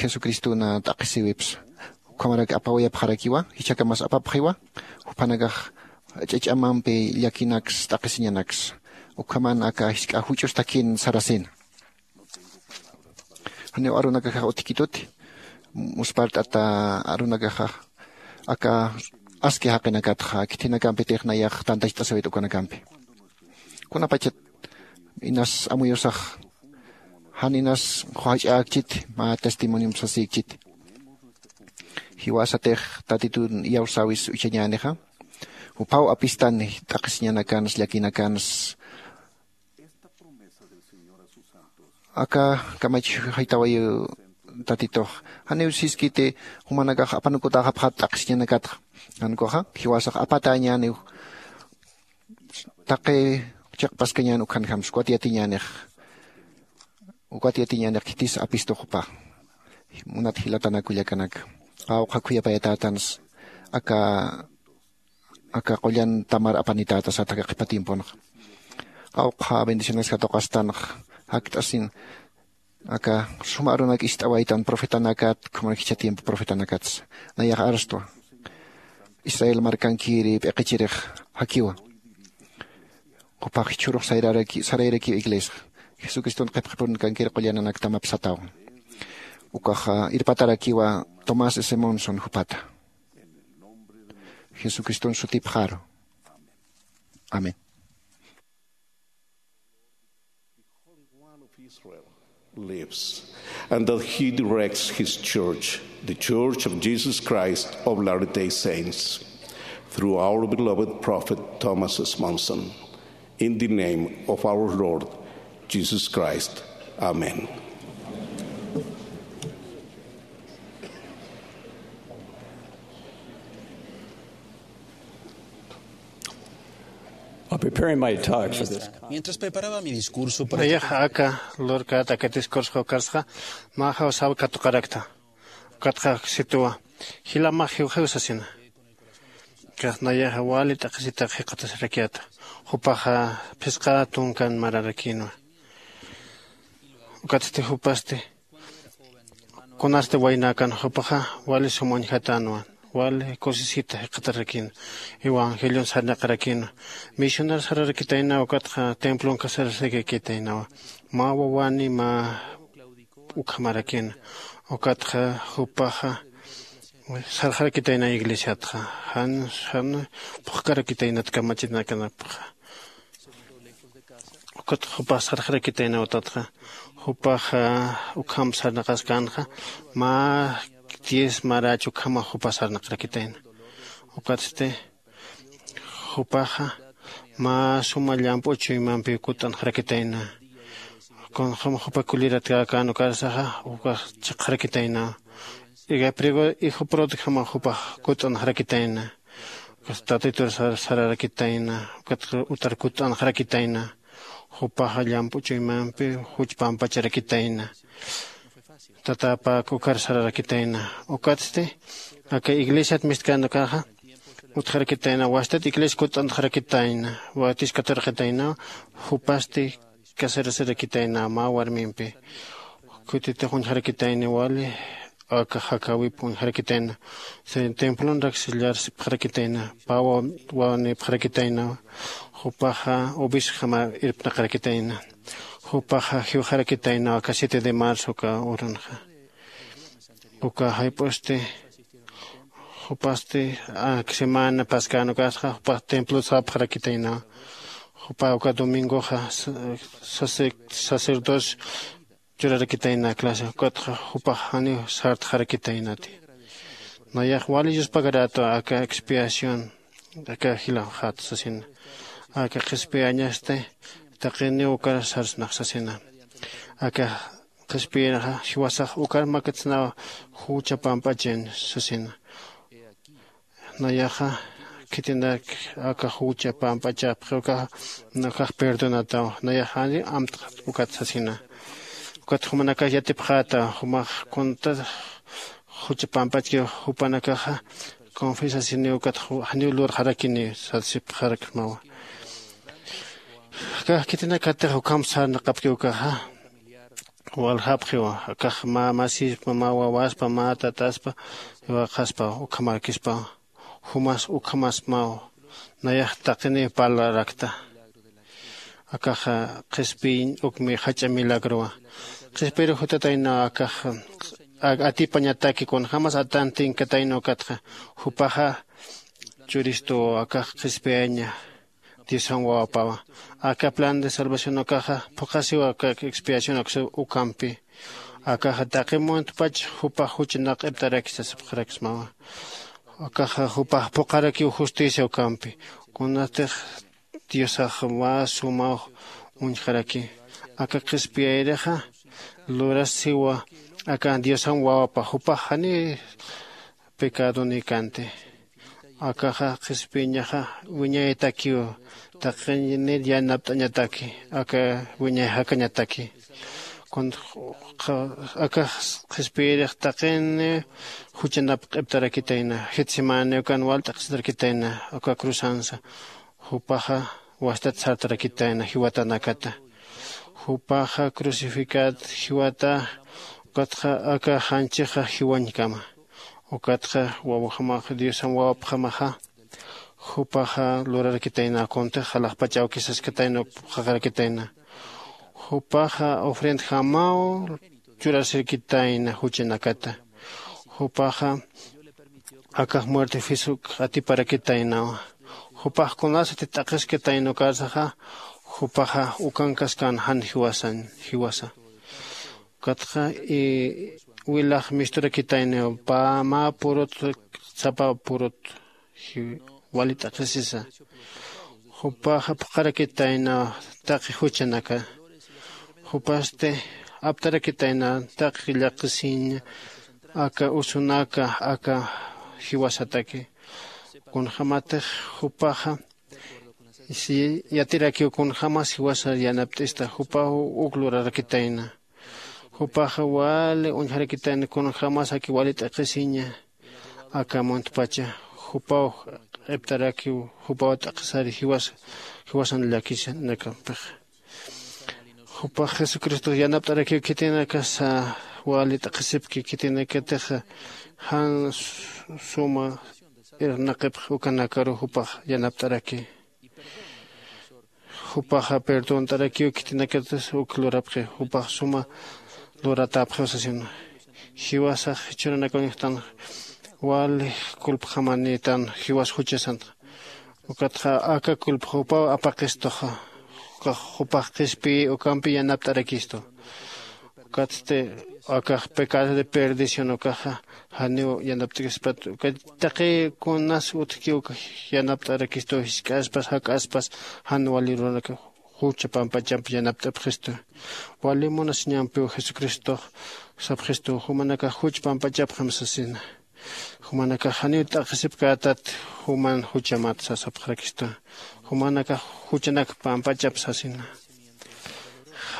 jesucristona t'aqhisiwipsa. Ukhamarak apawayapxarakiwa jichhakamas apapxiwa juphanakax ch'ach'amampi llakinaksa t'aqhisiñanaksa. Ukhaman aka jisk'a juch'us takin sarasina. Janiw arunakaxax utjkituti muspart'ata arunakaxax aka aski jaqinakatxa khitinakampitix nayax tantacht'asawit ukanakampi. Kunapachat inas amuyusax jan inas qhuwach'äkchiti mä testimoniomp sasïkchiti. Jiwasatix tatitun iyawsäwis uchañänixa juphaw apistani t'aqhisiñanakans llakinakans. Aka kamach jaytawayiw tatitux janiw siskiti jumanakax apanukutäxapxat t'aqhisiñanakatxa. Jankuxa jiwasax apatäñäniw taqi chiqpaskañän ukhanjams ukat yatiñänix ukat yatiñänix khitis apistu jupa. Munat jilatanak kullakanak qawqha khuyapayatätans aka aka qullan tamar apanitäta sat aka qhipa tiemponxa. Qawqha bendicionaskatuqastanx jakt'asin aka suma arunak ist'awaytan profetanakat khuman jichha tiempo profetanakatsa. Nayax arstwa israel markankiri p'iqichirix jakiwa. Juphax jichhürux sarayrakiw iglesxa jesucriston qhipqhipurunkankir qullananak tamap satawan. Ukaxa irpatarakiwa tomás s monson juphata jesucriston sutipxaru. Amén. Lives, and that he directs his church, the Church of Jesus Christ of Latter-day Saints, through our beloved prophet Thomas S. Monson. In the name of our Lord Jesus Christ. Amen. Preparing my talk for this. Mientras preparaba mi discurso para nayaxa aka lurkät aka discurso ukarsxa, mä jawsaw katuqarakta. Ukatxa situwa, jilamax jiwjiw sasina. Kax nayaxa wali t'aqhisitax jikxatasirakiata. Jupaxa phisqa tunkan mararakïnwa. Ukatsti jupasti kunasti waynäkan, jupaxa wali sum uñjatänwa. Wali kusisita jikxatarakïna, evangelion sarnaqarakïna, misionar sararakitaynaw. Ukatxa templon kasararakitaynawa, mä wawani mä ukhamarakïna. Ukatxa jupaxa sarxarakitayna iglesiatxa, jan jan phuqkarakitaynat kamachinakanapxa. Ukat jupax sarxarakitayna utatxa, jupaxa ukham sarnaqaskänxa, mä diez marach ukhamax jupax sarnaqarakitayna. Ukatsti jupaxa mä suma llamp'u chuymampiw kutt'anxarakitayna. Kunjam jupa kuliratkäkän ukarsaxa ukax chiqxarakitayna. Iga prigo ijupurutjama jupax kutt'anxarakitayna. Ukas tatitur sararakitayna. Ukat utar kutt'anxarakitayna. Jupaxa llamp'u chuymampi juch pampacharakitayna. Tatapak ukar sararakitayna. Ukatsti aka iglesiat mistkän ukaxa utjarakitayna, wastat iglesia kutt'antxarakitayna, watis katurqitayna. Jupasti kasarasirakitayna mä warmimpi. Kutitix uñjarakitayni wali aka jakawip uñjarakitayna. Templonrak sillarsipxarakitayna, pä wawanipxarakitayna. Jupaxa obisjama irpnaqarakitayna. Jupaxa jiwxarakitayna aka siete de marzo uka urunxa. Uka jayp'usti jupasti ak semana paskän ukasxa jupax templot sapxarakitayna. Jupa uka domingoxa sacerdocio churarakitayna clase ukatxa jupax janiw sartxarakitaynati. Nayax wali yuspagarata aka expiación aka jilawxat sasina. Aka qhispiyañasti taqiniw ukar sarsnax sasina. Aka qhispiyinxa jiwasax ukar makatsnaw jucha pamp'achin sasina. Nayaxa khitinak aka jucha pamp'achapxi ukax perdonataw. Nayax jani amtxat ukat sasina. Ukat jumanakax yatipxäta jumax kunta jucha pamp'achki jupanakaxa confiesasiniw ukat janiw lurxarakiniw sasipxaraksmawa. Kax khitinakatix ukham sarnaqapki ukaxa waljapxiwa. Akax mä masispa mä wawaspa mä tataspa iwaqaspa ukhamarakispa. Jumas ukhamasmaw. Nayax taqiniw parlarakta. Akaxa qhispiñ ukmi jach'a milagrowa. Qhispiyirux jutataynaw akax atipañataki kunjämas atan tinkatayna ukatxa jupaxa churistuw akax qhispiyaña. Diosan wawapawa aka plan de salvación ukaxa phuqhasiwa aka expiación ukampi. Akaxa taqi muntpach jupax juchanaq q'iptaraki sasipxaraksmawa. Akaxa jupax phuqharakiw justicia ukampi kunatix diosax mä sumaw uñjaraki. Aka qhispiyayrixa lurasiwa aka diosan wawapa jupax jani pecadonïkanti. Akaxa qhispiñaxa wiñaytakiw taqinir yanapt'añataki aka wiñay jakañataki. Akax qhispiyirix taqini juchanap q'iptarakitayna. Jetsemani ukan wal t'aqhisitarakitayna aka cruzansa. Jupaxa wastat sartarakitayna jiwatanakata. Jupaxa crucificat jiwata. Ukatxa aka janchixa jiwañkama. Ukatxa wawjamax diosan wawapjamaxa jupaxa lurarakitayna kuntix alaxpach awkisaskatayna phuqhaqarakitayna. Jupaxa ofrendjamaw churasirkitayna juchanakata. Jupaxa akax muertefisuk atiparakitaynawa. Jupax kunasati t'aqhiskatayna ukarsaxa jupaxa ukankaskän jan jiwasañ jiwasa. Ukatxa wilax misturakitaynaw pä mä purut sapa purut wali t'aqhisisa. Jupaxa phuqharakitaynaw taqi juchanaka. Jupasti aptarakitayna taqi llaqisiñ aka usunaka aka jiwasataki. Kunjämatix jupaxa Si yatirakiw kunjämas jiwasa yanapt'ista jupaw uk lurarakitayna. Jupaxa wali uñjarakitayna kunjämas aki wali t'aqhisiña aka muntpacha. Jupaw q'iptarakiw jupaw t'aqhisari jiwas jiwasan llakisinakampixa. Jupax jesucristox yanapt'arakiw khitinakasa wali t'aqhisipki khitinakatixa jan suma irnaqipx ukanakaru jupax yanapt'araki. Jupaxa perdont'arakiw khitinakatas uk lurapxi jupax suma luratäpxiw sasina. Jiwasax jichhürunakaw ñuxtan wali kulpxamanïtan jiwas juchasanxa. Ukatxa aka kulpxa jupaw apaqistuxa. Jupax qhispiyï ukampi yanapt'arakistu. Ukatsti akax pecado de perdición ukaxa janiw yanapt'kispat ukat taqi kunas utjki uk yanapt'arakistu jisk'aspas jak'aspas jan wali runak jucha pampachamp yanapt'apxistu. Wali munasiñampiw jesucristox sapxistu jumanakax juch pampachapxam sasina. Jumanakax janiw t'aqhisipkätat juman juchamat sasapxarakistu. Jumanakax juchanak pampachap sasina.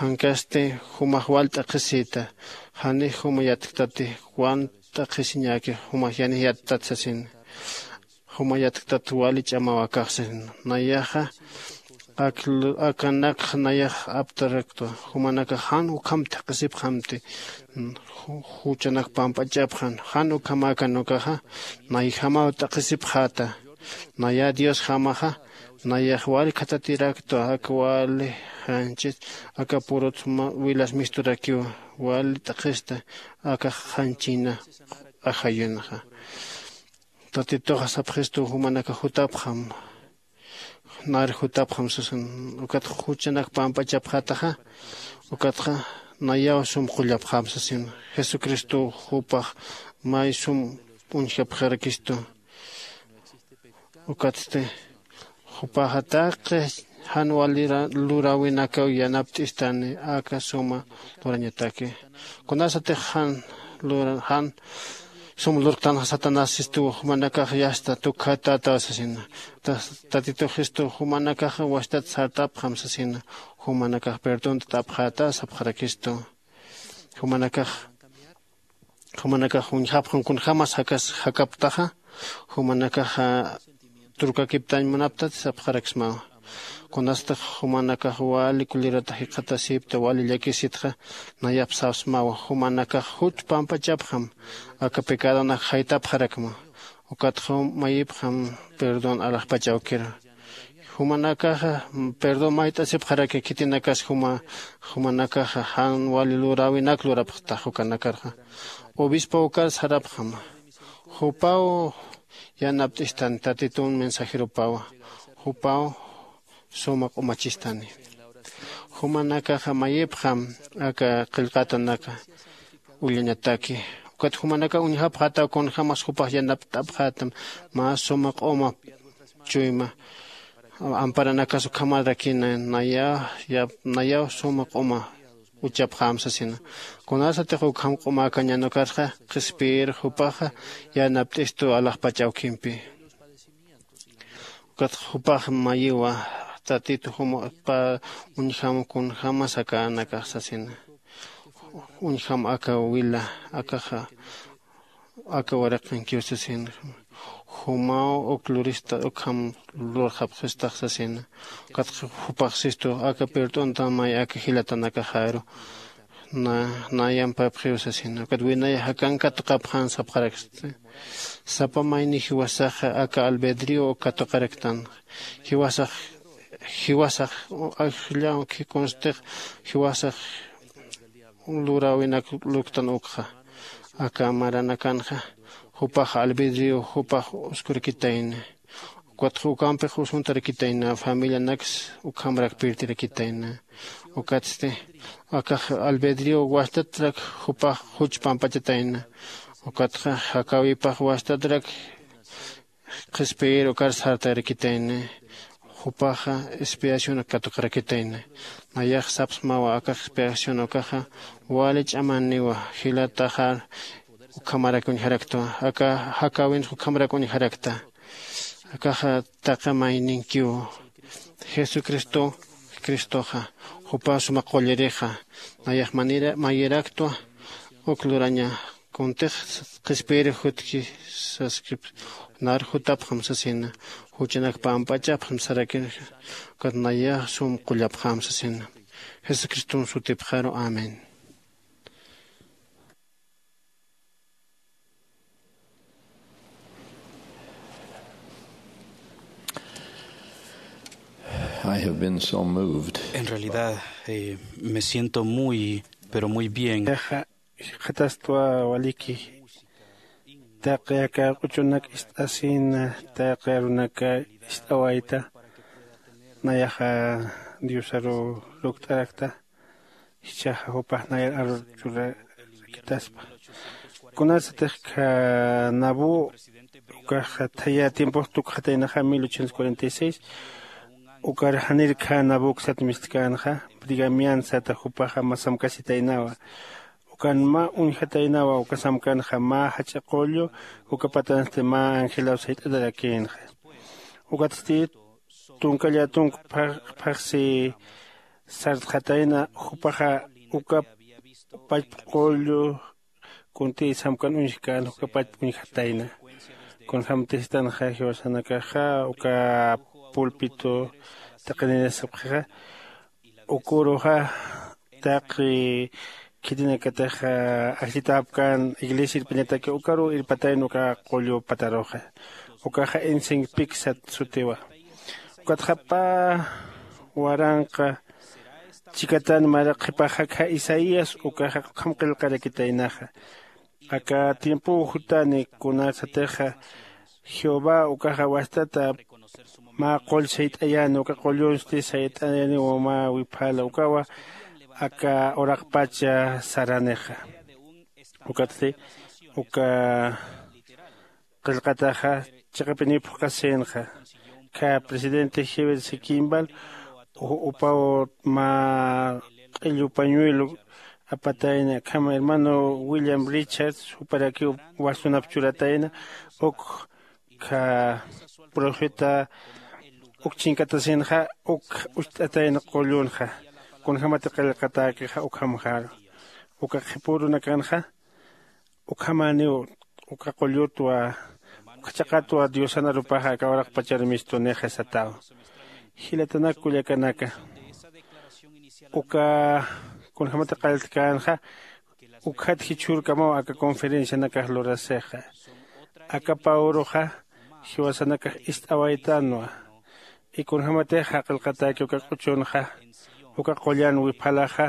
Jankasti jumax wal t'aqhisïta. Janix juma yatktati wan t'aqhisiñäki jumax yanix yattat sasina. Juma yatktat wali ch'amaw akax sasina. Nayaxa akanakxa nayax aptaraktwa. Jumanakax jan ukham thaqhisipxamti. Juchanak pampachapxan jan ukhamäkan ukaxa nayjamaw t'aqhisipxäta. Nayä diosjamaxa nayax wali khathatiraktwa aka wali janchit aka purut wilas misturakiw wali t'aqhista akax janchina ajayunxa. Tatituxa sapxistu jumanakax jutapxam nar jutapxam sasin. Ukatxa juchanak pampachapxätaxa ukatxa nayaw sum qullapxam sasin. Jesucristow jupax may sum uñjapxarakistu. Ukatsti jupaxa taqi jan wali luräwinakaw yanapt'istani aka suma lurañataki. Kunasatix jan lura jan sum lurktanxa satanás sistuw jumanakax yasta tukjatätaw sasina. Tatituxistu jumanakaxa wachtat sartapxam sasina. Jumanakax perdontatapxäta sapxarakistu. Jumanakax jumanakax uñjapxam kunjämas jakas jakaptaxa jumanakaxa turkakiptañ munaptat sapxaraksmawa. Kunastix jumanakax wali kulirata jikxatasïpta wali llakisitxa nayap sapsmawa jumanakax juch pampachapxam aka pecadonak jaytapxarakma. Ukatxa mayipxam perdón alaxpach awkiru. Jumanakaxa perdón mayt'asipxaraki khitinakas juma jumanakaxa jan wali luräwinak lurapxtax ukanakarxa. Obispo ukar sarapxama jupaw yanapt'istani tatitun mensajeropawa. Jupaw suma q'umachistani. Jumanakaxa mayipxam aka qillqatanaka ullañataki. Ukat jumanakax uñjapxätaw kunjämas jupax yanapt'apxätam mä suma q'uma chuyma amparanakas ukhamarakina. Nayaw suma q'uma uchapxäm sasina. Kunasatix ukham q'umäkañän ukarxa qhispiyir jupaxa yanapt'istu alaxpach awkimpi. Ukatxa jupax mayiwa tatitu juma uñjam kunjämas akanakax sasina. Uñjam aka wila akaxa aka waraqinkiw sasina. Jumaw uk lurista ukham lurxapxistax sasina. Ukatxa jupax sistu aka pirt'untan may aka jilatanakaxaru nayampapxiw sasina. Ukat winaya jakan katuqapxän sapxaraksti. Sapa mayni jiwasaxa aka albedrio katuqaraktan. Jiwasax jiwasax ajllaw khikhuntix jiwasax luräwinak luktan ukxa. Aka maranakanxa jupax albedrio jupax uskurakitayna. Ukatxa ukampix usuntarakitayna familianaks ukhamarak pirtirakitayna. Ukatsti akax albedrio wastatrak jupax juch pampachatayna. Ukatxa jakäwipax wastatrak qhispiyir ukar sartarakitayna. Jupaxa expiación katuqarakitayna. Nayax sapsmawa akax expiación ukaxa wali ch'amaniwa. Jilataxar ukhamarak uñjaraktwa aka jakäwinx ukhamarak uñjarakta. Akaxa taqi mayninkiw Jesucristo, Cristoxa jupa suma qullirixa nayax manera mayiraktwa. Uk luraña kuntix qhispiyirix jutki saskip nar jutapxam sasina. Juchanak pamp'achapxam sarakirja. Ukat nayax sum qullapxam sasina. Jesucriston sutipxaru. Amén. I have been so moved. En realidad, eh, me siento muy, pero muy bien. Yaxa jikxatastwa waliki. Taqi aka q'uchunak ist'asina, taqi arunaka ist'awayta. Nayaxa Diosaru lukt'arakta. Jichhaxa jupax nayar arur churakitaspa. Kunasatix kha nabu ukax thaya tiempox tukxataynaxa mil ochocientos cuarenta y seis. Ukar janir kha nabu uksat mistkänxa. Brigamian sata jupaxa mä samkasitaynawa. Ukan mä uñjataynawa uka samkanxa mä jach'a qullu. Uka patansti mä angelaw sayt'atarakïnxa. Ukatsti tunka llätunk phaxsi sartxatayna. Jupaxa uka pachpa qullu kuntï samkan uñjkän uka pachpa uñjatayna. Kunjämtistanxa jiwasanakaxa uka pulpito taqinirasapxixa. Ukuruxa taqi khitinakatix ajllitäpkän iglesia irpañataki ukaruw irpatayna uka qullu pataruxa. Ukaxa insinpik sat sutiwa. Ukatxa pä waranqa chikatan mara qhipaxa akha isaías ukaxa ukham qillqarakitaynaxa. Aka tiempow jutani kunasatixa jehová ukaxa wastata mä qull sayt'ayäni uka qullunsti sayt'ayäniwa mä wiphala ukawa aka uraqpacha saranixa. Ukatsti uka qillqataxa chiqapiniw phuqhasïnxa. Kha presidente heber sikimbal upaw mä q'illu pañuelo apatayna akham hermano william richards juparakiw wasunap churatayna. Uk kha profeta uk chinkatasinxa uk ucht'atayna qullunxa. Kunjämati qillqatäkixa ukhamxaru uka qhipürunakanxa ukhamäniw uka qullutwa uka chaqatwa diosan arupaxa aka uraqpachar mistunixa sataw. Jilatanak kullakanaka uka kunjämati qalltkänxa ukkhat jichhürkamaw aka conferencianakax lurasixa. Aka pawruxa jiwasanakax ist'awaytänwa. Y kunjämatixa qillqatäki uka q'uchunxa uka qullan wiphalaxa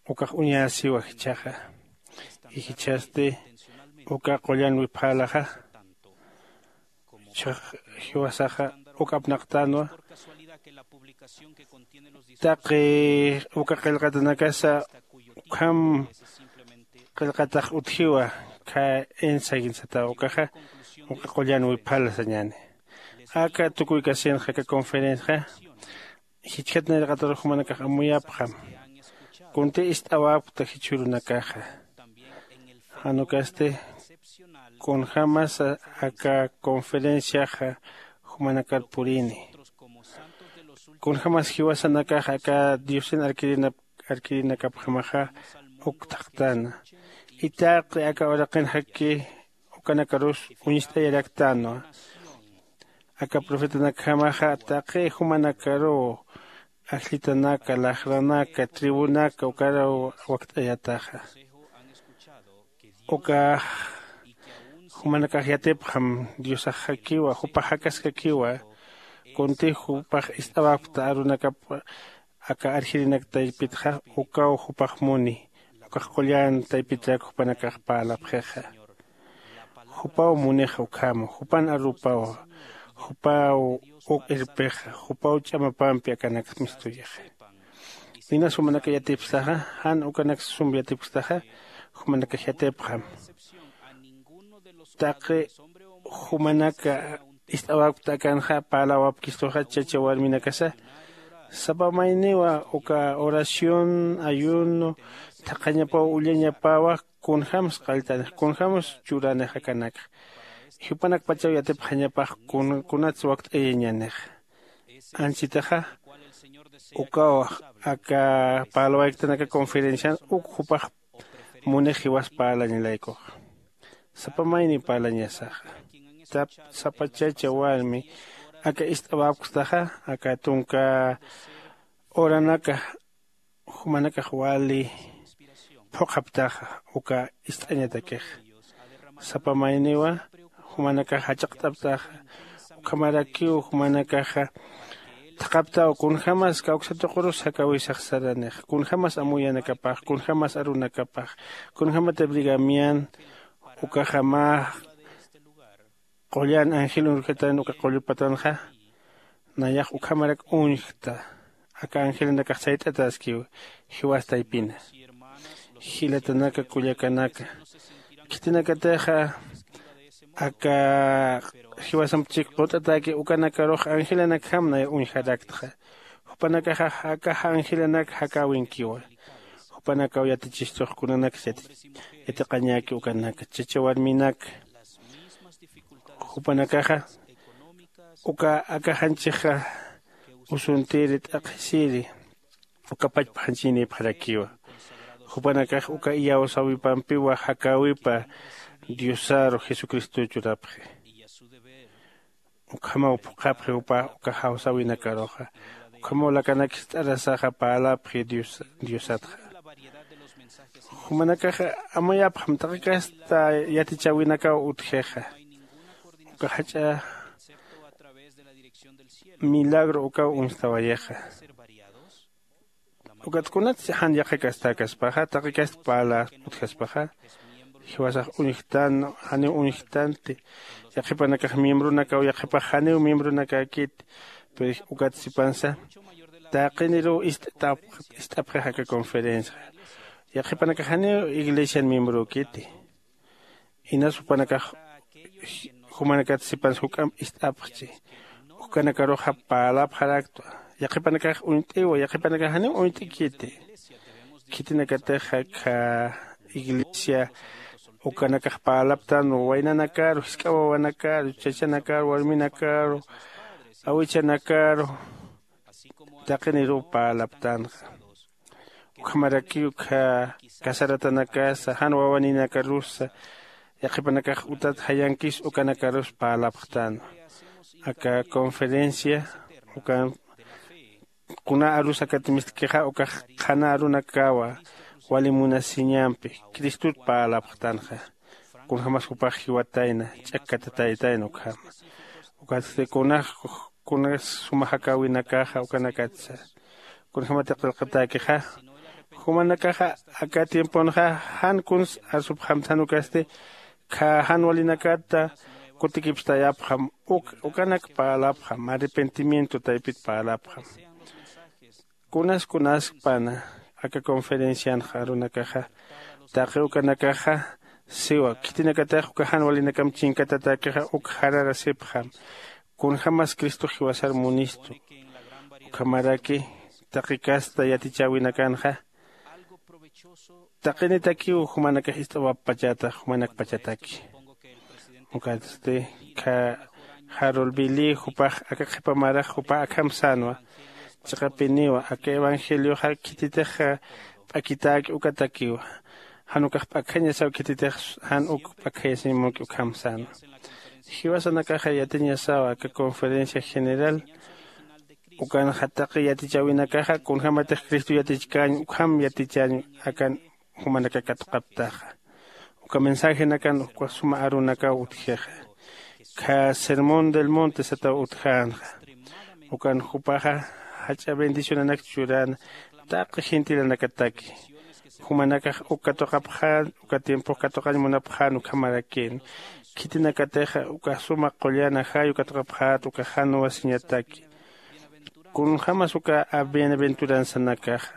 ukax uñäsiwa jichhaxa. Y jichhasti uka qullan wiphalaxa jiwasaxa uk apnaqtänwa. Taqi uka qillqatanakasa ukham qillqatax utjiwa. Kha insaginsataw ukaxa uka qullan wiphala sañäni. Aka tukuykasinxa aka conferenciaxa jichhat nayraqatarux jumanakax amuyapxam. Kunti ist'awapkta jichhürunakaxa jan ukasti kunjämasa aka conferenciaxa jumanakar purini. Kunjämas jiwasanakax aka diosin arkirinakapjamaxa uk thaqtäna. Itaqi aka uraqinxaki ukanakarus uñst'ayaraktanwa. Aka profetanakjamaxa taqi jumanakaruw ajllitanaka laxranaka tribunaka ukaraw wakt'ayataxa. Ukax jumanakax yatipxam diosaxakiwa jupax jakaskakiwa. Kunti jupax ist'awapkta arunakap aka arjirinak taypitxa ukaw jupax muni ukax qullan taypitrak jupanakax parlapxixa. Jupaw munixa ukhama jupan arupawa. Jupaw uk irpixa jupaw ch'amapampi akanak mistuyixa. Inas jumanaka yatipstaxa jan ukanak sum yatipkstaxa jumanakax yatipxam. Taqi jumanaka ist'awapkta akanxa parlawapkistuxa chacha warminakasa sapa mayniwa uka oración ayuno thaqhañapaw ullañapawa. Kunjämsa qalltanix kunjämsa churanix akanakxa jupanakpachaw yatipxañapax kunatsa wakt'ayañanix. Anchitaxa ukaw aka parlawayktän aka conferencian uk jupax munix jiwas parlañalaykuxa. Sapa mayni parlañasaxa, sapa chacha warmi aka ist'awapkstaxa aka tunka horanaka jumanakax wali phuqhaptaxa uka ist'añatakixa. Sapa mayniwa jumanakax jach'aqt'aptaxa. Ukhamarakiw jumanakaxa thaqhaptaw kunjämas kawksa tuqurus jakäwisax saranixa, kunjämas amuyanakapax, kunjämas arunakapax, kunjämatï brigamian ukaxa mä qullan angel urjatan uka qullu patanxa. Nayax ukhamarak uñjta. Aka angelanakax sayt'ataskiw jiwas taypina. Jilatanaka kullakanaka, khitinakatixa aka jiwasamp chik qut'atäki ukanakarux angelanakjam nay uñjaraktxa. Jupanakaxa aka angelanak jakäwinkiwa. Jupanakaw yatichistux kunanaksa yatiqañäki ukanaka chacha warminaka. Jupanakaxa uka aka janchixa usuntiri t'aqhisiri uka pachpa janchiñnïpxarakiwa. Jupanakax uka iyawsäwipampiwa jakäwipa diosaru jesucristo churapxi. Ukhamaw phuqhapxi jupax uka jawsäwinakaruxa. Ukhamaw lakanak jist'arasaxa parlapxi diosatxa. Jumanakaxa amayapxam taqi kasta yatichäwinakaw utjixa. Uka jach'a milagro ukaw uñstawayixa. Ukat kunatsi jan yaqhikastakaspaxa taqi kasta parla utjaspaxa, jiwasax uñjtan janiw uñjtanti. Yaqhipanakax miembronakaw yaqhipax janiw miembronakäkiti. Pero ukat sipansa taqiniruw ist'apxix aka conferencia. Yaqhipanakax janiw iglesian miembrökiti. Inas jupanakax jumanakat sipansa juk'amp ist'apxchi. Ukanakaruxa parlapxaraktwa. Yaqhipanakax uñt'iwa yaqhipanakax janiw uñt'ikiti. Khitinakatix akha iglesia ukanakax parlaptan waynanakaru jisk'a wawanakaru chachanakaru warminakaru awichanakaru taqiniruw parlaptanxa. Ukhamarakiw ukkha casaratanakasa jan wawaninakarusa yaqhipanakax utat jayankis ukanakarus parlapxtänwa. Aka conferencia ukan kuna arus akatmistkixa ukax qhana arunakawa wali munasiñampi cristot parlapxtanxa. Kunjämas jupax jiwatayna ch'akkatataytayna ukhama. Ukatsti kunax kunas suma jakäwinakaxa ukanakatsa kunjämati qillqatäkixa. Jumanakaxa aka tiemponxa jan kuns arsupxamthan ukasti khä jan walinakata kutikipstayapxam. Uk ukanak parlapxam arrepentimiento taypit parlapxam. Kunas kunaskpana aka conferencianxa arunakaxa taqi ukanakaxa siwa khitinakatix uka jan walinakamp chinkatatäkixa uk jararasipxam. Kunjämas cristox jiwasar munistu. Ukhamaraki taqi kasta yatichäwinakanxa taqinitakiw jumanakax ist'awapxpachäta jumanakpachataki. Ukatsti khä jarol bilí jupax aka qhipa marax jupax akham sänwa. Chiqapiniwa aka evangelioxa khititix p'akitäki ukatakiwa. Jan ukax p'akjañasaw khititix jan uk p'akjayasiñ munki ukham sänwa. Jiwasanakaxa yatiñasawa aka conferencia general ukanxa taqi yatichäwinakaxa kunjämatix cristo yatichkäñ ukham yatichäñ akan jumanaka katuqapktaxa. Uka mensajenakan uka suma arunakaw utjixa. Khä sermón del monte sataw utjänxa. Ukan jupaxa jach'a bendicionanak churäna taqi gentilanakataki. Jumanakax uk katuqapxän uka tiempox katuqañ munapxän ukhamarakïn. Khitinakatixa uka suma qullan ajay uk katuqapxät uka jan wasiñataki. Kunjämas uka bienaventuranzanakaxa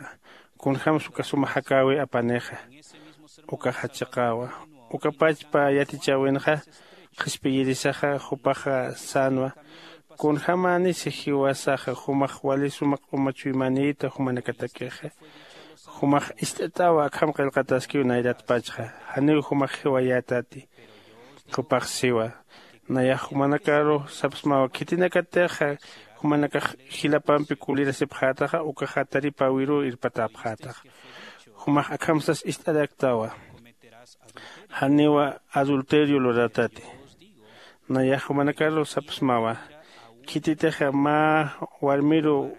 kunjämsa uka suma jakäwi apanixa. Ukaxa chiqäwa uka pachpa yatichäwinxa qhispiyirisaxa jupaxa sänwa. Kunjämänisi jiwasaxa jumax wali suma q'uma chuymanïta jumanakatakixa. Jumax ist'at'awa akham qillqataskiw nayratpachxa janiw jumax jiwayätati. Jupax siwa nayax jumanakaru sapsmawa khitinakatixa Jumanakax jilapampi kulirasipxätaxa ukaxa taripäwiruw irpatäpxätaxa. Jumax akham sas ist'araktawa, janiwa adulterio luratati. Nayax jumanakaru sapxsmawa, khititixa mä warmiru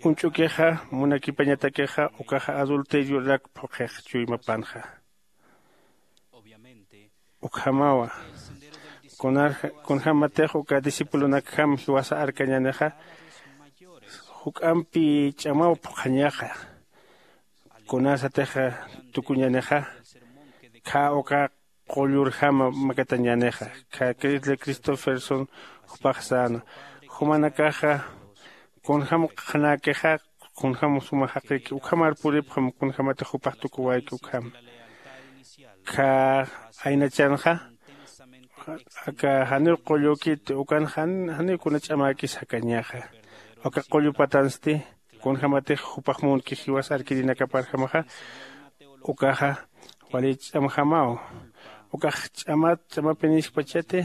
uñch'ukixa munakipañatakixa ukaxa adulteriorak phuqhix chuymapanxa. Ukhamawa, kunarja kunjämatix uka discipulonakjam jiwasa arkañänixa juk'ampi ch'amaw phuqhañaxa. Kunasatixa tukuñänixa khä uka qullurjama makatañänixa. Khä Crisle Christopherson jupax säna, jumanakaxa kunjäm qhanäkixa, kunjäm suma jaqïki ukhamar puripxam kunjämatix jupax tukuwayki ukham. Khä aynachanxa aka janiw qullükiti ukan janiw kuna ch'amäkis jakañaxa. Aka qullu patansti kunjämatix jupax munki jiwas arkirinakaparjamaxa ukaxa wali ch'amjamaw. Ukax ch'amat ch'amapiniskpachati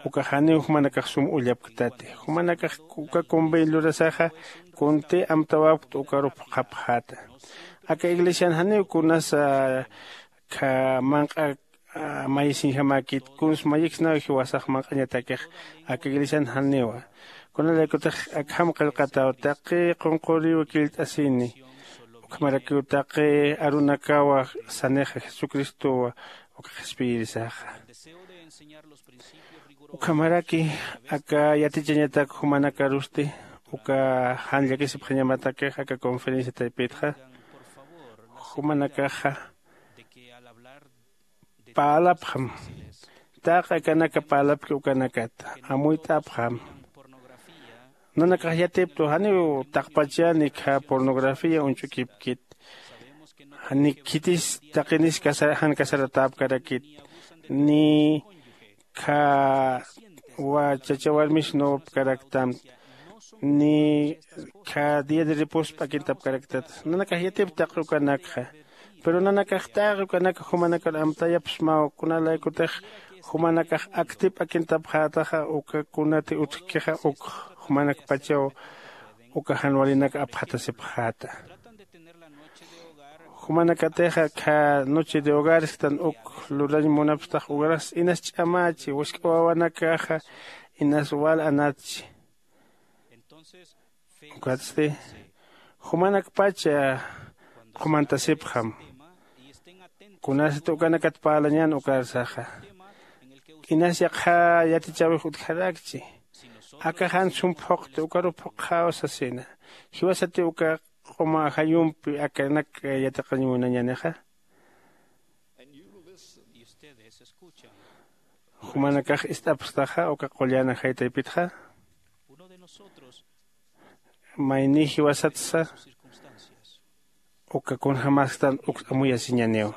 ukax janiw jumanakax sum ullapktati. Jumanakax uka convenio lurasaxa kunti amtawapkta ukaru phuqhapxäta. Aka iglesian janiw kunasa kha manq'a mayisiñjamäkit kuns mayiksnaw jiwasax manq'añatakix aka iglesian janiwa. Kunalaykutix akham qillqataw taqi qunquriw killt'asini ukhamarakiw taqi arunakawa sanixa jesucristowa uka qhispiyirisaxa. Ukhamaraki aka yatichañatak jumanakarusti uka jan llakisipxañamatakix aka conferencia taypitxa jumanakaxa parlapxam. Taqi akanaka parlapki ukanakata amuyt'apxam. Nanakax yatiptu janiw taqpachani khä pornografía uñch'ukipkit. Jani khitis taqinis jan casaratäpkarakit ni khä chacha warmis nowapkaraktam ni khä día de reposo p'akintapkaraktat. Nanakax yatip taqi ukanakxa. Pero nanakax taqi ukanaka jumanakar amtayapxsmaw kunalaykutix jumanakax aktip p'akintapxätaxa uka kunati utjkixa uk jumanakpachaw uka jan walinak apxatasipxäta. Jumanakatixa khä noche de hogarestan uk lurañ munapxtax ukaras inas ch'amächi wisk'a wawanakaxa inas wal anatchi. Ukatsti jumanakpacha qhumantasipxam. Kunasat ukanakat parlañän ukarsaxa inas yaqha yatichäwix utjarakchi. Aka jan sum phuqti ukaru phuqxäw sasina. Jiwasati uka q'uma ajayumpi akanak yatiqañ munañänixa. Jumanakax ist'apxtaxa uka qullan ajay taypitxa. Mayni jiwasatsa uka kunjämäsktan uk amuyasiñäniw.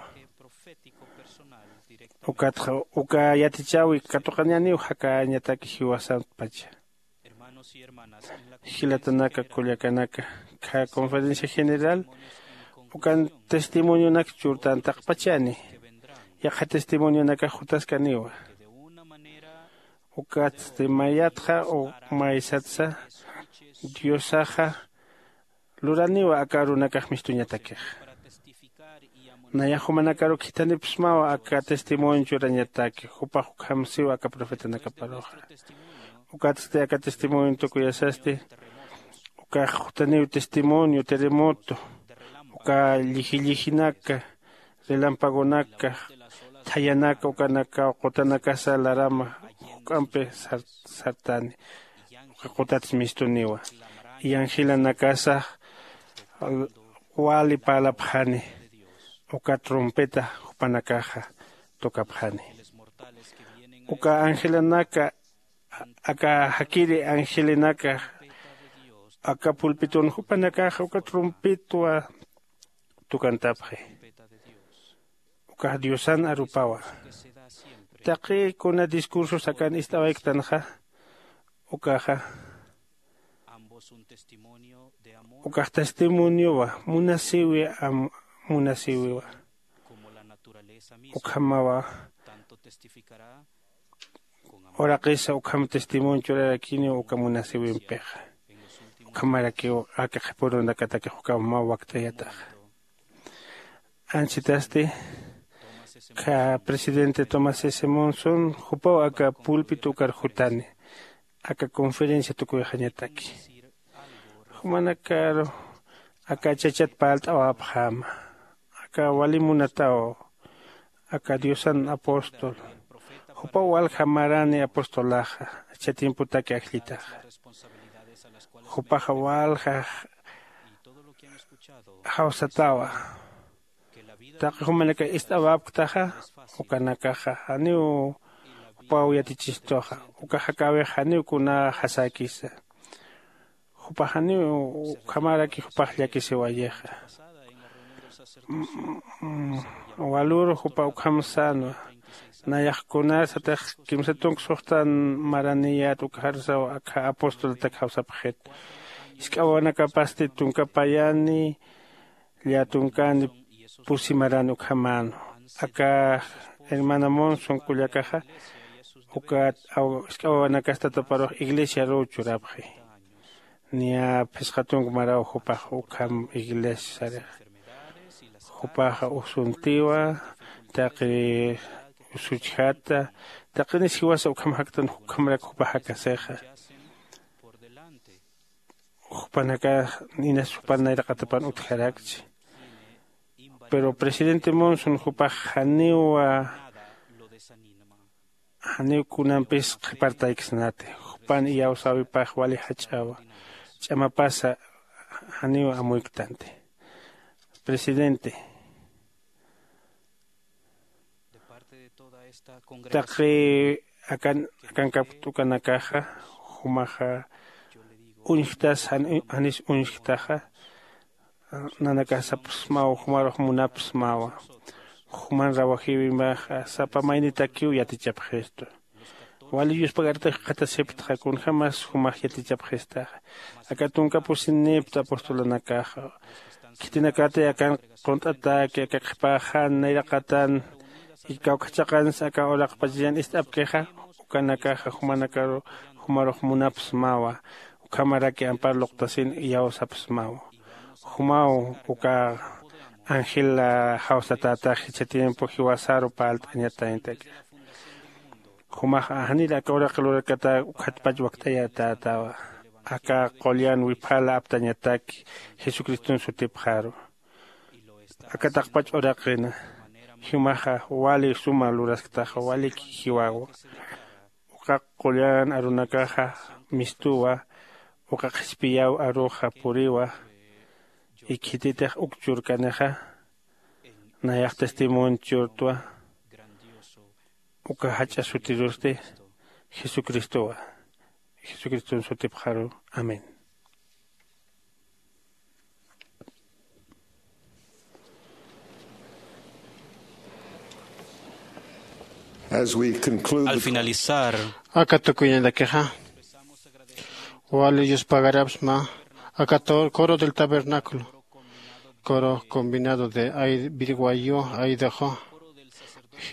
Ukatxa uka yatichäwi katuqañäniw jakañataki jiwasatpacha. Jilatanaka kullakanaka, khä conferencia general ukan testimonionak churtän taqpachani. Yaqha testimonionakax jutaskaniwa. Ukatsti mayatxa o maysatsa diosaxa luraniwa aka arunakax mistuñatakix. Nayax jumanakaru khithanipxsmawa aka testimonio churañataki jupax ukham siwa aka profetanakaparuxa. Ukatsti aka testimonio tukuyasasti ukax jutaniw testimonio terremoto uka lliji llijinaka relampagonaka thayanaka ukanakaw qutanakasa larama juk'ampi sartani. Uka qutats mistuniwa. Yanjilanakasa wali parlapxani uka trompeta jupanakaxa tukapxani. Uka angelanaka aka jakiri angelinaka aka pulpitun jupanakaxa uka trompetwa tukantapxi. Ukax diosan arupawa. Taqi kuna discurso sakan ist'awayktanxa ukaxa ukax testimoniowa munasiwi am munasiwiwa. Ukhamawa uraqisa ukham testimonio churarakiniw uka munasiwimpixa. Ukhamarakiw aka qhipurunakatakix ukham mä wakt'ayataxa. Anchitasti kha presidente Thomas S Monson jupaw aka pulpito ukar jutani aka conferencia tukuyxañataki. Jumanakaru aka chachat parlt'awapxäma aka wali munataw aka diosan apóstol jupaw walja marani apostolaxa. Chatimputaki ajllitaxa jupaxa walja jawsatawa. Taqi jumanaka ist'awapktaxa ukanakaxa janiw jupaw yatichistuxa. Uka jakäwix janiw kuna jasäkisa jupax janiw ukhamaraki jupax llakisiwayixa. Walur jupa ukham sänwa nayax kunasatix kimsa tunka suxtan maraniyät ukxarsaw akha apostolatak jawsapxit. Jisk'awanakapasti tunka payani llätunkani pusi marani ukhamänu. Aka hermana monson kullakaxa ukat jisk'a wawanakastataparux iglesiaruw churapxi. Niya phisqa tunka maraw jupax ukham iglesiarix jupaxa usuntiwa taqi usuchjata taqinis jiwasa ukham jaktan ukhamarak jupax jakasixa. Jupanakax inas jupan nayraqatapan utjarakchi. Pero presidente monson jupax janiwa janiw kunampis qhipartayksnati. Jupan iyawsäwipax wali jach'awa ch'amapasa janiw amuyktanti. Presidente taqi akan akankapkt'ukanakaxa jumaxa uñjtas janis uñjtaxa. Nanakasapsmaw jumarux munapsmawa. Juman rawajiwimaxa sapa maynitakiw yatichapxistu. Wali yuspagartix qhatasiptxa kunjämas jumax yatichapxistaxa. Aka tunka pusinipta apostolanakaxa khitinakati akan qunt'atäki aka qhipäxan nayraqatan kawkhachaqans aka uraqpachallan ist'apkixa. Ukanakaxa jumanakaru jumarux munapsmawa. Ukhamaraki ampar luqtasin iyawsapsmawa. Jumaw uka angel jawsatätax jichha tiempo jiwasaru parlt'añatañataki. Jumax janir aka uraq lurakata ukhatpach wakt'ayatätawa. Aka qullan wiphala aptañataki jesucriston sutipxaru. Aka taqpach uraqina jumaxa wali suma lurasktaxa walik jiwawa. Uka qullan arunakaxa mistuwa. Uka qhispiyaw aruxa puriwa. Ikhititix uk churkanixa nayax testimonio churtwa. Uka jach'a sutirusti jesucristowa. Jesucriston sutipxaru. Amén. As we conclude al finalizar aka tukuñandakixa wali yuspagarapsma aka coro del tabernáculo coro combinado de birwayo aidajo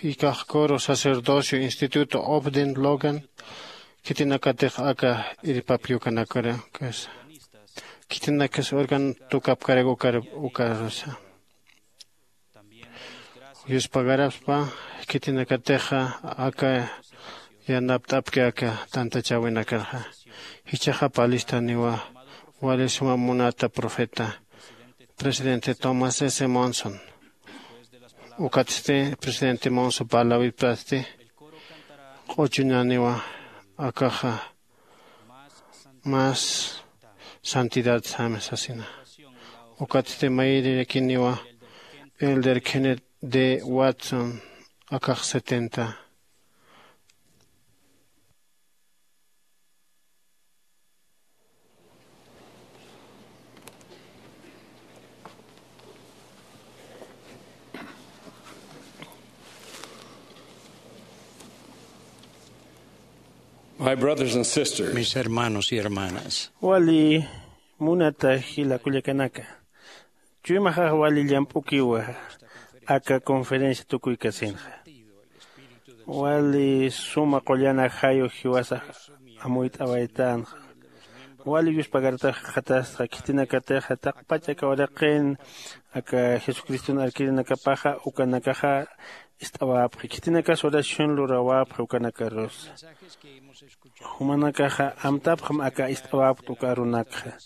ikax coro sacerdocio instituto obden logan. Khitinakatix aka irpapyukanakara kasa khitinakas organ tukapkarak ukarasa yuspagarapspa khitinakatixa aka yanapt'apki aka tantachäwinakarxa. Jichhaxa palistaniwa wali suma munata profeta presidente tomás s monson. Ukatsti presidente monson parlawipasti q'uchuñaniwa akaxa mas santidad sami sasina. Ukatsti mayirirakiniwa elder kenneth d watson akax setenta. My brothers and sisters, mis hermanos y hermanas, wali munata jila kullakanaka, chuymaxax wali llamp'ukiwa aka conferencia tukuykasinxa. Wali suma qullan ajayu jiwasax amuyt'awaytanxa. Wali yuspagaratax jikxatasxa khitinakatixa taqpach aka uraqin aka jesucriston arkirinakapaxa ukanakaxa ist'awapxi khitinakas oración lurawapxi ukanakarusa. Jumanakaxa amtapxam aka ist'awapkt uka arunakxa.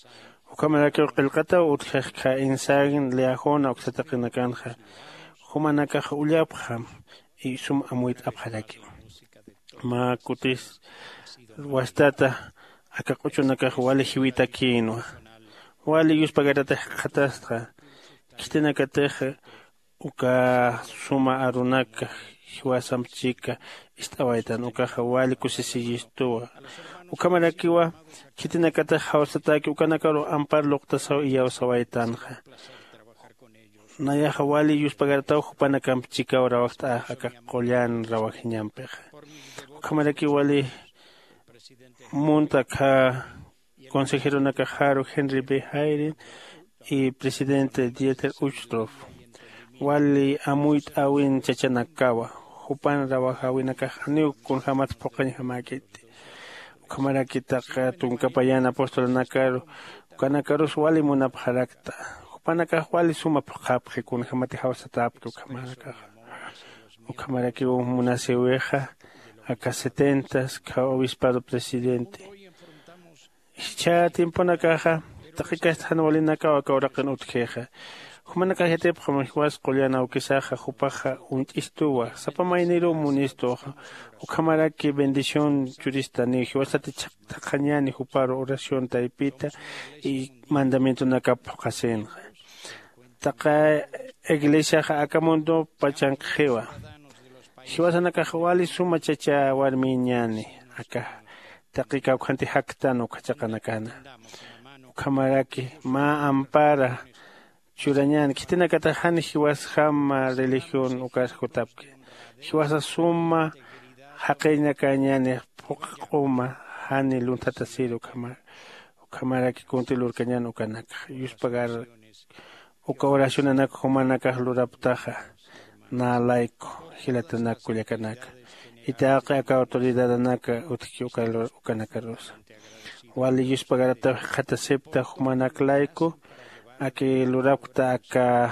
Ukhamarakiw qillqataw utjixkha insan liajuna uksataqinakanxa. Jumanakax ullapxam isum amuyt'apxarakiw. Mä kutis wastata aka q'uchunakax wali jiwitakïnwa. Wali yuspagaratax jikxatastxa khitinakatix uka suma arunaka jiwasamp chika ist'awaytan ukaxa wali kusisiyistuwa. Ukhamarakiwa khitinakatax jawsataki ukanakaru ampar luqtasaw iyawsawaytanxa. Nayaxa wali yuspagarataw jupanakamp chikaw rawajt'ax aka qullan rawajiñampixa. Ukhamaraki wali munta akha consejeronakaxaru henry b jairin y presidente dieter uchtrof wali amuyt'äwin chachanakawa. Jupan rawajäwinakax janiw kunjämat phuqhañjamäkiti. Ukhamaraki taqi tunka payan apostolanakaru ukanakarus wali munapxarakta. Jupanakax wali suma phuqhapxi kunjämati jawsatäpki ukhamarakaxa. Ukhamarakiw munasïwixa aka setentas kha obispado presidente. Jichha tiemponakaxa taqikasta jan walinakaw aka uraqin utjixa. Jumanakax yatipxam jiwas qullan awkisaxa jupaxa uñt'istuwa sapa mayniruw munistuxa. Ukhamaraki bendición churistaniw jiwasati chhaqt'aqañäni juparu oración taypita y mandamientonakap phuqhasinxa. Taqa iglesiaxa aka mundop pachankxiwa. Jiwasanakax wali suma chacha warmiñäni aka taqi kawkhanti jaktan ukhachaqanakana. Ukhamaraki mä ampara churañäni khitinakatax jan jiwasjama religión ukas jutapki. Jiwasa suma jaqinakäñäni phuqha q'uma jani lunthatasiri ukhamar. Ukhamaraki kunti lurkañän ukanakxa yuspagar uka oracionanak jumanakax luraptaxa. Nä layku jilatanak kullakanaka itaqi aka autoridadanaka utjki ukanakarusa. Wali yuspagarataw jikxatasipta jumanak layku aki lurapkta aka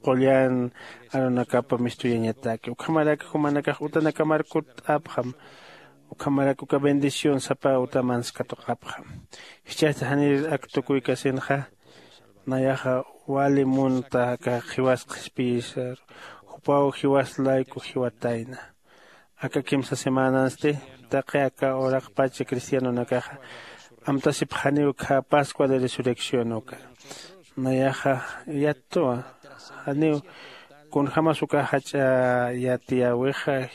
qullan arunakapa mistuyañataki ukhamarak jumanakax utanakamar kutt'apxam. Ukhamarak uka bendición sapa uta manskatuqapxam. Jichhasti janir ak tukuykasinxa. Nayaxa wali munta aka jiwas qhispiyisar jupaw jiwas layku jiwatayna. Aka kimsa semanansti taqi aka uraqpacha cristianonakaxa amtasipxaniw kha pascua de resurrección uka. Nayaxa yattuwa janiw kunjämas uka jach'a yatiyäwixa.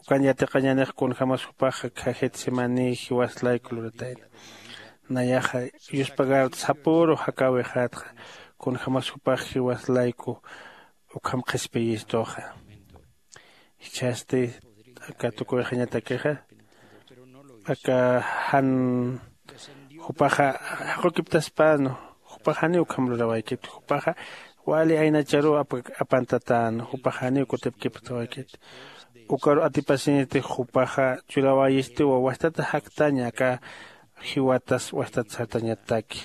Ukan yatiqañanix kunjämas jupaxa kha getsemaní jiwas layku luratayna. Nayaxa yuspagarta sapüru jakäwixätxa kunjämas jupax jiwas layku ukham qhispiyistuxa. Jichhasti aka tukuyxañatakixa aka jan jupaxa jaqukiptaspäna. Jupax janiw ukham lurawaykiti jupaxa wali aynacharuw apantatäna jupax janiw kutipkiptawaykiti. Ukaru atipasiniti jupaxa churawayistiwa wastata jaktaña aka jiwatas wastat sartañataki.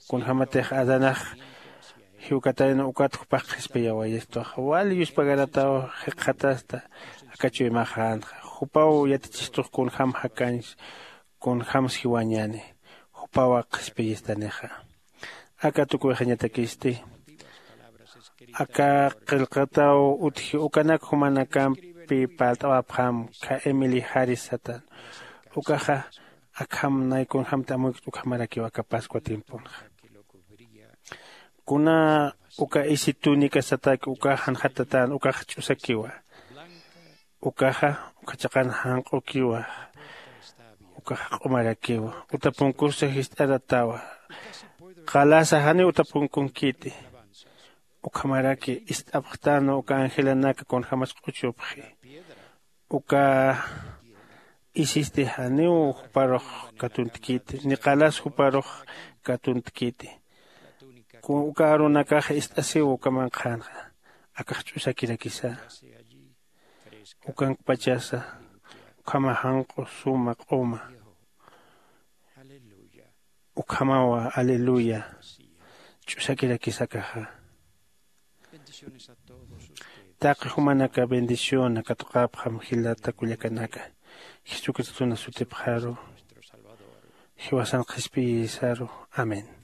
Kunjämatix adanax jiwkatayna ukat jupax qhispiyawayistuxa wali yuspagarataw jikxatasta. Aka chuymaxänxa jupaw yatichistux kunjäm jakañs kunjämsa jiwañäni jupawa qhispiyistanixa. Aka tukuyxañatakisti aka qillqataw utji ukanak jumanakampi parlt'awapxam kha emily jaris satan. Ukaxa akham nay kunjämti amuykt ukhamarakiw aka pascua tiemponxa. Kuna uka isi túnica sataki ukax janxatatän ukax ch'usakiwa. Ukaxa uka chaqan janq'ukiwa. Ukax q'umarakiwa uta punkusa jist'aratawa. Qalasa janiw uta punkunkiti. Ukhamaraki ist'apxtänwa uka angelanaka kunjämas q'uchupxi. Uka isisti janiw juparux katuntkiti ni qalas juparux katuntkiti. Uka arunakaxa ist'asiw uka manqhanxa. Akax ch'usakirakisa. Ukankpachasa ukhama janq'u suma q'uma. Ukhamawa, aleluya, ch'usakirakisakaxa. Taqi jumanaka bendición katuqapxam jilata kullakanaka, Jesucristona sutipxaru, jiwasan qhispiyisaru. Amén.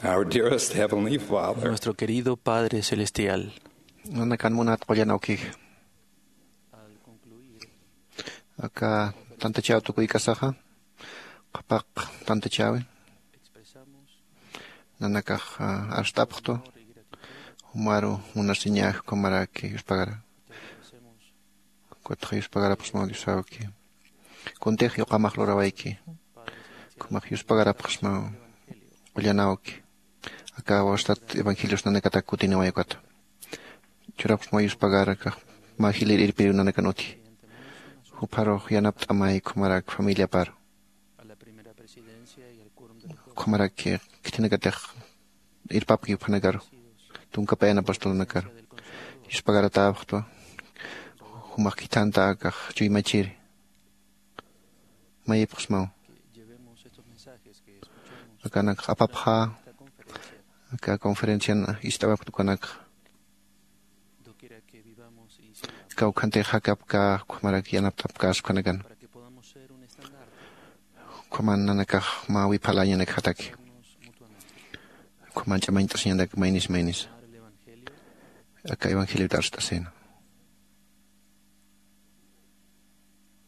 Our dearest Heavenly Father. Nuestro querido Padre Celestial. Nanakan munat qullan awkix. Aka tantachaw tukuykasaxa, qhapaq tantachäwi. Nanakax, ah, arst'apxtu, jumaru munasiñax ukhamaraki yuspagara. Ukatxa yuspagarapxsmaw Diosawki. Kuntix yuqamax lurawayki. Ukhamax yuspagarapxsmaw qullanawki. Aka wastat evangelios nanakatak kutiniway ukata. Churapxsmaw yuspagara kax mä jilïr irpiriw nanakan uti. Jupharux yanapt'amay ukhamarak familiaparu. Ukhamaraki khitinakatix irpapki juphanakaru, tunkapayana apostolnakaru. Yuspagaratäpxtwa, jumax khithanta akax chuymachiri. Mayipxsmaw. Akanakax apapxä, aka conferencian ist'awapkta ukanakxa. Kawkhantix jakapkä, ukhamarak yanapt'apkäs ukhanakan. Ukhaman nanakax mä wiphaläñanakjataki. Ukhaman ch'amañt'asiñanak maynis maynis. Aka evangeliota arst'asina.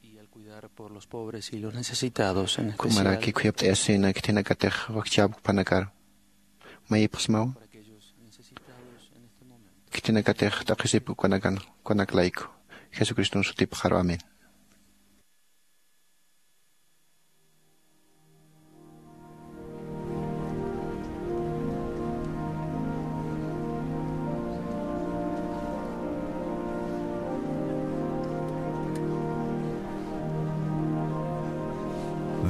Y al cuidar por los pobres y los necesitados, en especial. Ukhamaraki khuyapt'ayasina khitinakatix wakchäpkpanakarux. Mayipxsmaw. Khitinakatix t'aqhisipki ukanakan, ukanak layku. Jesucriston sutipxaru. Amén.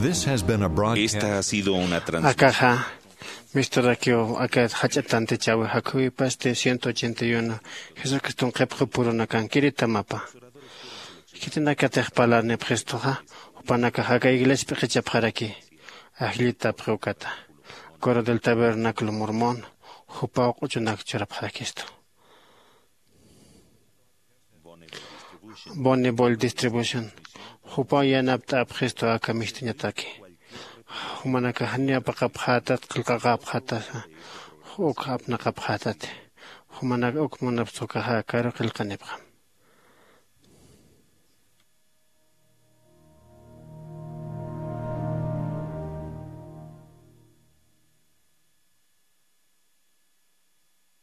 This has been a broadcast. Esta ha sido una transmisión. Akaxa misturakiw aka jach'a tantachäwi jakhuwipasti ciento ochenta y uno Jesucriston qhipxi purunakankiritamapa. Khitinakatix parlarnipxistuxa, jupanakax aka iglesia p'iqichapxaraki, ajllitapxi ukata. Coro del Tabernáculo Mormón, jupaw q'uchunak churapxarakistu. Bonneville Distribution, jupaw yanapt'apxistu aka mistuñataki. Jumanakax janiw apaqapxätat, qillqaqapxätasa, uk apnaqapxätati. Jumanak uk munapxi ukaxa karu qillqanipxam.